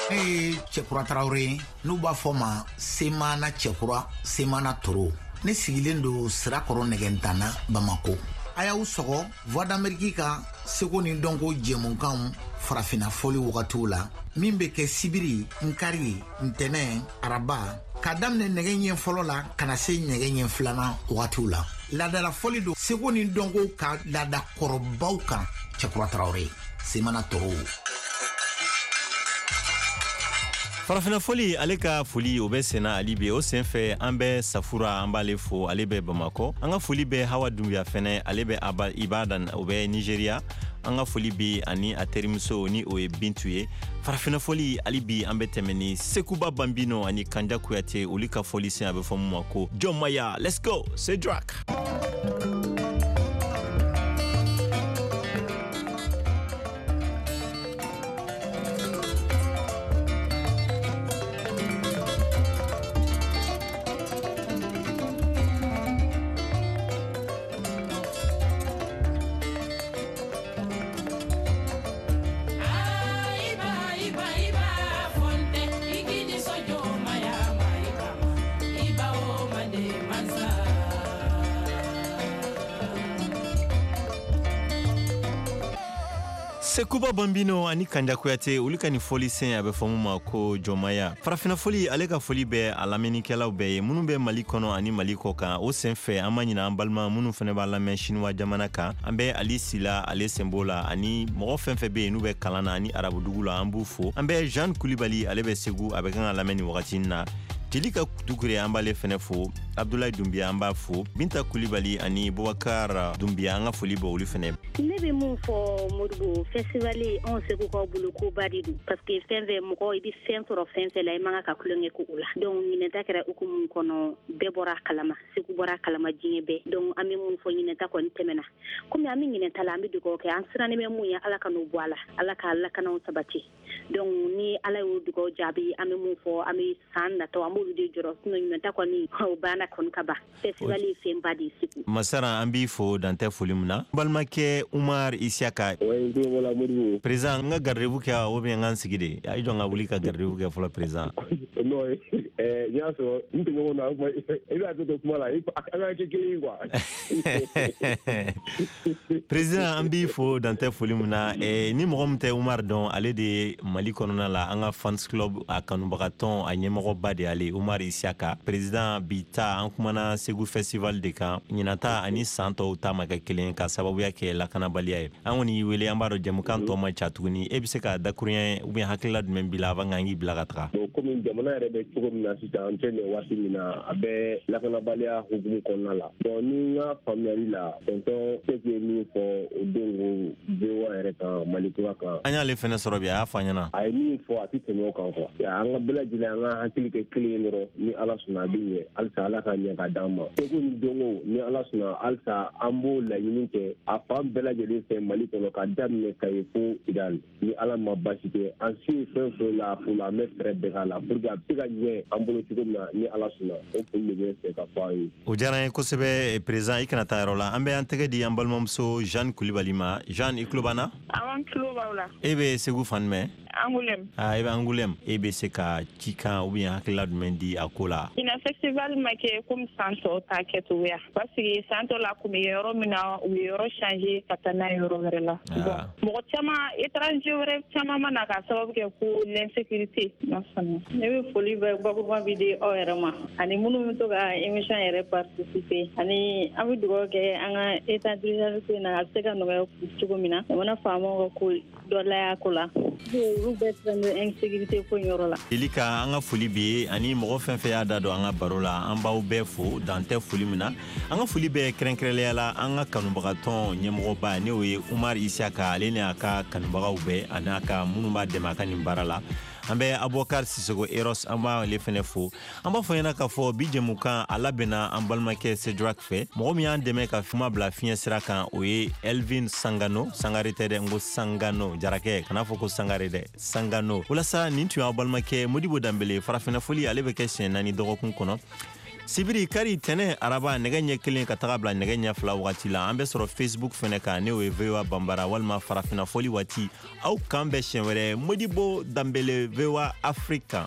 Ne ye Cɛkura Tarawele ye, n'u b'a fɔ ma Semana Cɛkura, Semana Toro. Ne sigilen don Sirakɔrɔ Nɛgɛntana, Bamako. A y'aw sɔgɔ Voix d'Amérique ka seko ni dɔnko jɛmukanw farafinna fɔli wagatiw la, min bɛ kɛ sibiri, nkari, ntɛnɛn, araba, k'a daminɛ nɛgɛ ɲɛ fɔlɔ la ka na se nɛgɛ ɲɛ filanan wagatiw la. Laadala fɔli don seko ni dɔnko ka laada kɔrɔbaw kan. Cɛkura Tarawele, Semana Toro. Farafinna fɔli, ale ka foli o bɛ senna ali bi. O sen fɛ, an bɛ Safura, an b'ale fo, ale bɛ Bamakɔ. An ka foli bɛ Hawa Dunbiya fɛnɛ, ale bɛ Aba Ibadan, o bɛ Nigeria. An ka foli bɛ ani a terimuso ni o ye Bintu ye. Farafinna fɔli ali bi, an bɛ tɛmɛ ni Sekuba Banbino ani Kanja Kuyate, olu ka fɔli sen, a bɛ fɔ mun ma ko Jɔnmaya. Let's go, Cédric. Sekuba Bambino ani Kanja Kuyate, olu ka nin fɔli sen, a bɛ fɔ mun ma ko Jɔnmaya. Farafinna fɔli, ale ka foli bɛ a lamɛnnikɛlaw bɛɛ ye minnu bɛ Mali kɔnɔ ani Mali kɔ kan. O sen fɛ, an ma ɲina an balima minnu fɛnɛ b'a lamɛn Sinuwa jamana kan. An bɛ Ali Sila, ale sen b'o la, ani mɔgɔ fɛn fɛn bɛ yen n'u bɛ kalan na ani arabudugu la, an b'u fo. An bɛ Jeanne Kulibali, ale bɛ Segu, a bɛ kan ka lamɛn nin wagati in na. Jelika Dukure, an b'ale fɛnɛ fo. Abdoulaye Dumbiya, an b'a fo. Binta Kulibali ani Boubacar Dumbiya, an ka foli bɛ olu fɛnɛ. Ne bɛ mun fɔ Modibo, festival anw Segukaw bolo koba de don, parce que fɛn fɛn mɔgɔ i bɛ fɛn sɔrɔ fɛn fɛn la, i man kan ka tulonkɛ k'o la. Donc ɲinɛta kɛra hukumu kɔnɔ, bɛɛ bɔra a kalama, Segu bɔra a kalama, diɲɛ bɛɛ. Donc an bɛ mun fɔ, ɲinɛta kɔni tɛmɛna. Komi an bɛ ɲinɛta la, an bɛ dugawu kɛ, an sirannen bɛ mun ye, Ala ka n'o bɔ a la, Ala ka lakanaw sabati. Donc ni Ala y'o dugawu jaabi, an bɛ mun fɔ, an bɛ san natɔ an b'olu de jɔrɔ, sinon ɲinɛta kɔni o banna kɔni ka ban. Festival ye fɛnba de ye Segu. Masara, an b'i fo dantɛ foli min na. Balimakɛ Umar Isiaka. Président, n ka garde-vous kɛ ou bien n ka n sigi de? A ye jɔ n ka wuli ka garde-vous kɛ fɔlɔ, président. Non, n y'a sɔrɔ n tɔɲɔgɔnw na, i b'a to kuma la, an ka kɛ kelen ye quoi. Président, an b'i fo dantɛ foli min na. Ni mɔgɔ min tɛ Umar dɔn, ale de ye Mali kɔnɔna la an ka fans club a kanubagatɔn a ɲɛmɔgɔba de ale, Umar Isiaka. Président, bi ta an kumana Segu festival de kan. Ɲinata ani san tɔw ta ma kɛ kelen ka sababuya kɛ lakanabaliya ye. An kɔni y'i wele, an b'a dɔn jɛmukan tɔ man ca tuguni. E bɛ se ka dakuruɲɛ ou bien hakilila jumɛn b'i la avant k'an k'i bila ka taga? Bon, komi jamana yɛrɛ bɛ cogo min na sisan, an tɛ nin waati min na, a bɛ lakanabaliya hukumu kɔnɔna la. Bon, ni n ka faamuyali la, tonton Seku ye min fɔ o don ko VOA yɛrɛ kan, Mali kura kan. An y'ale fɛnɛ sɔrɔ bi, a y'a fɔ an ɲɛna. A ye min fɔ, a tɛ tɛmɛ o kan quoi. An ka bɛɛ lajɛlen, an ka hakili kɛ kelen ye dɔrɔn, ni Ala sɔnna a bɛ ɲɛ. Halisa Ala ka ɲɛ ka d'an ma. Seko ni dɔnko, ni Ala sɔnna, halisa an b'o laɲini kɛ a fan bɛɛ lajɛlen fɛ Mali kɔnɔ, ka daminɛ Kayi fo Kidali. Ni Ala ma baasi kɛ, an se ye fɛn fɛn la, o la an bɛ fɛɛrɛ bɛɛ k'a la pour que a bɛ se ka ɲɛ an bolo cogo min na, ni Ala sɔnna. O foli de bɛ n fɛ ka fɔ aw ye. O diyara an ye kosɛbɛ, président. I kana taa yɔrɔ la, an bɛ an tɛgɛ di an balimamuso Jeanne Kulibali ma. Jeanne, i tulo b'an na? Awɔ, n tulo b'aw la. E bɛ Segu fan jumɛn? Angoulême. Ah, e bɛ Angoulême. E bɛ se ka cikan ou bien hakilila jumɛn di a ko la? Ɲinan festival ma kɛ komi san tɔw ta kɛcogoya, parce que san tɔ la kun bɛ yɔrɔ min na, u ye yɔrɔ changer ka taa n'a ye yɔrɔ wɛrɛ la. Bon, mɔgɔ caman, étranger wɛrɛ caman ma na k'a sababu kɛ ko l'insécurité. Ne bɛ foli bɛ bakuruba bi di aw yɛrɛ ma, ani minnu bɛ to ka émission yɛrɛ participer, ani an bɛ dugawu kɛ an ka état d'urgence in na, a bɛ se ka nɔgɔya cogo min na, jamana faamaw ka ko dɔ laya ko la, olu bɛɛ siran bɛ insécurité ko yɔrɔ la. Elika, an ka foli b'i ye ani mɔgɔ fɛn fɛn y'a da don an ka baro la, an b'aw bɛɛ fo dan tɛ foli min na. An ka foli bɛɛ kɛrɛnkɛrɛnnenya la an ka kanubagatɔn ɲɛmɔgɔba, n'o ye Umar Isiaka, ale ni a ka kanubagaw bɛɛ ani a ka minnu b'a dɛmɛ a ka nin baara la. An bɛ Abubakar Sisoko Eros, an b'ale fɛnɛ fo. An b'a fɔ ɲɛna k'a fɔ bi jɛmukan a labɛnna an balimakɛ Cédric fɛ. Mɔgɔ min y'an dɛmɛ ka kuma bila fiɲɛ sira kan, o ye Elvin Sangano. Sangare tɛ dɛ, n ko Sangano. Jarakɛ, kana fɔ ko Sangare dɛ, Sangano. Walasa nin tun y'aw balimakɛ Modibo Danbele. Farafinna foli, ale bɛ kɛ siɲɛ 4 dɔgɔkun kɔnɔ. Sibiri, kari, tɛnɛ, araba, nɛgɛ ɲɛ 1 ka taga bila nɛgɛ ɲɛ 2 wagati la. An bɛ sɔrɔ Facebook fɛnɛ kan, n'o ye VOA Banbara walima Farafinna Fɔli waati. Aw k'an bɛn siɲɛ wɛrɛ. Modibo Danbele, VOA Afrique kan.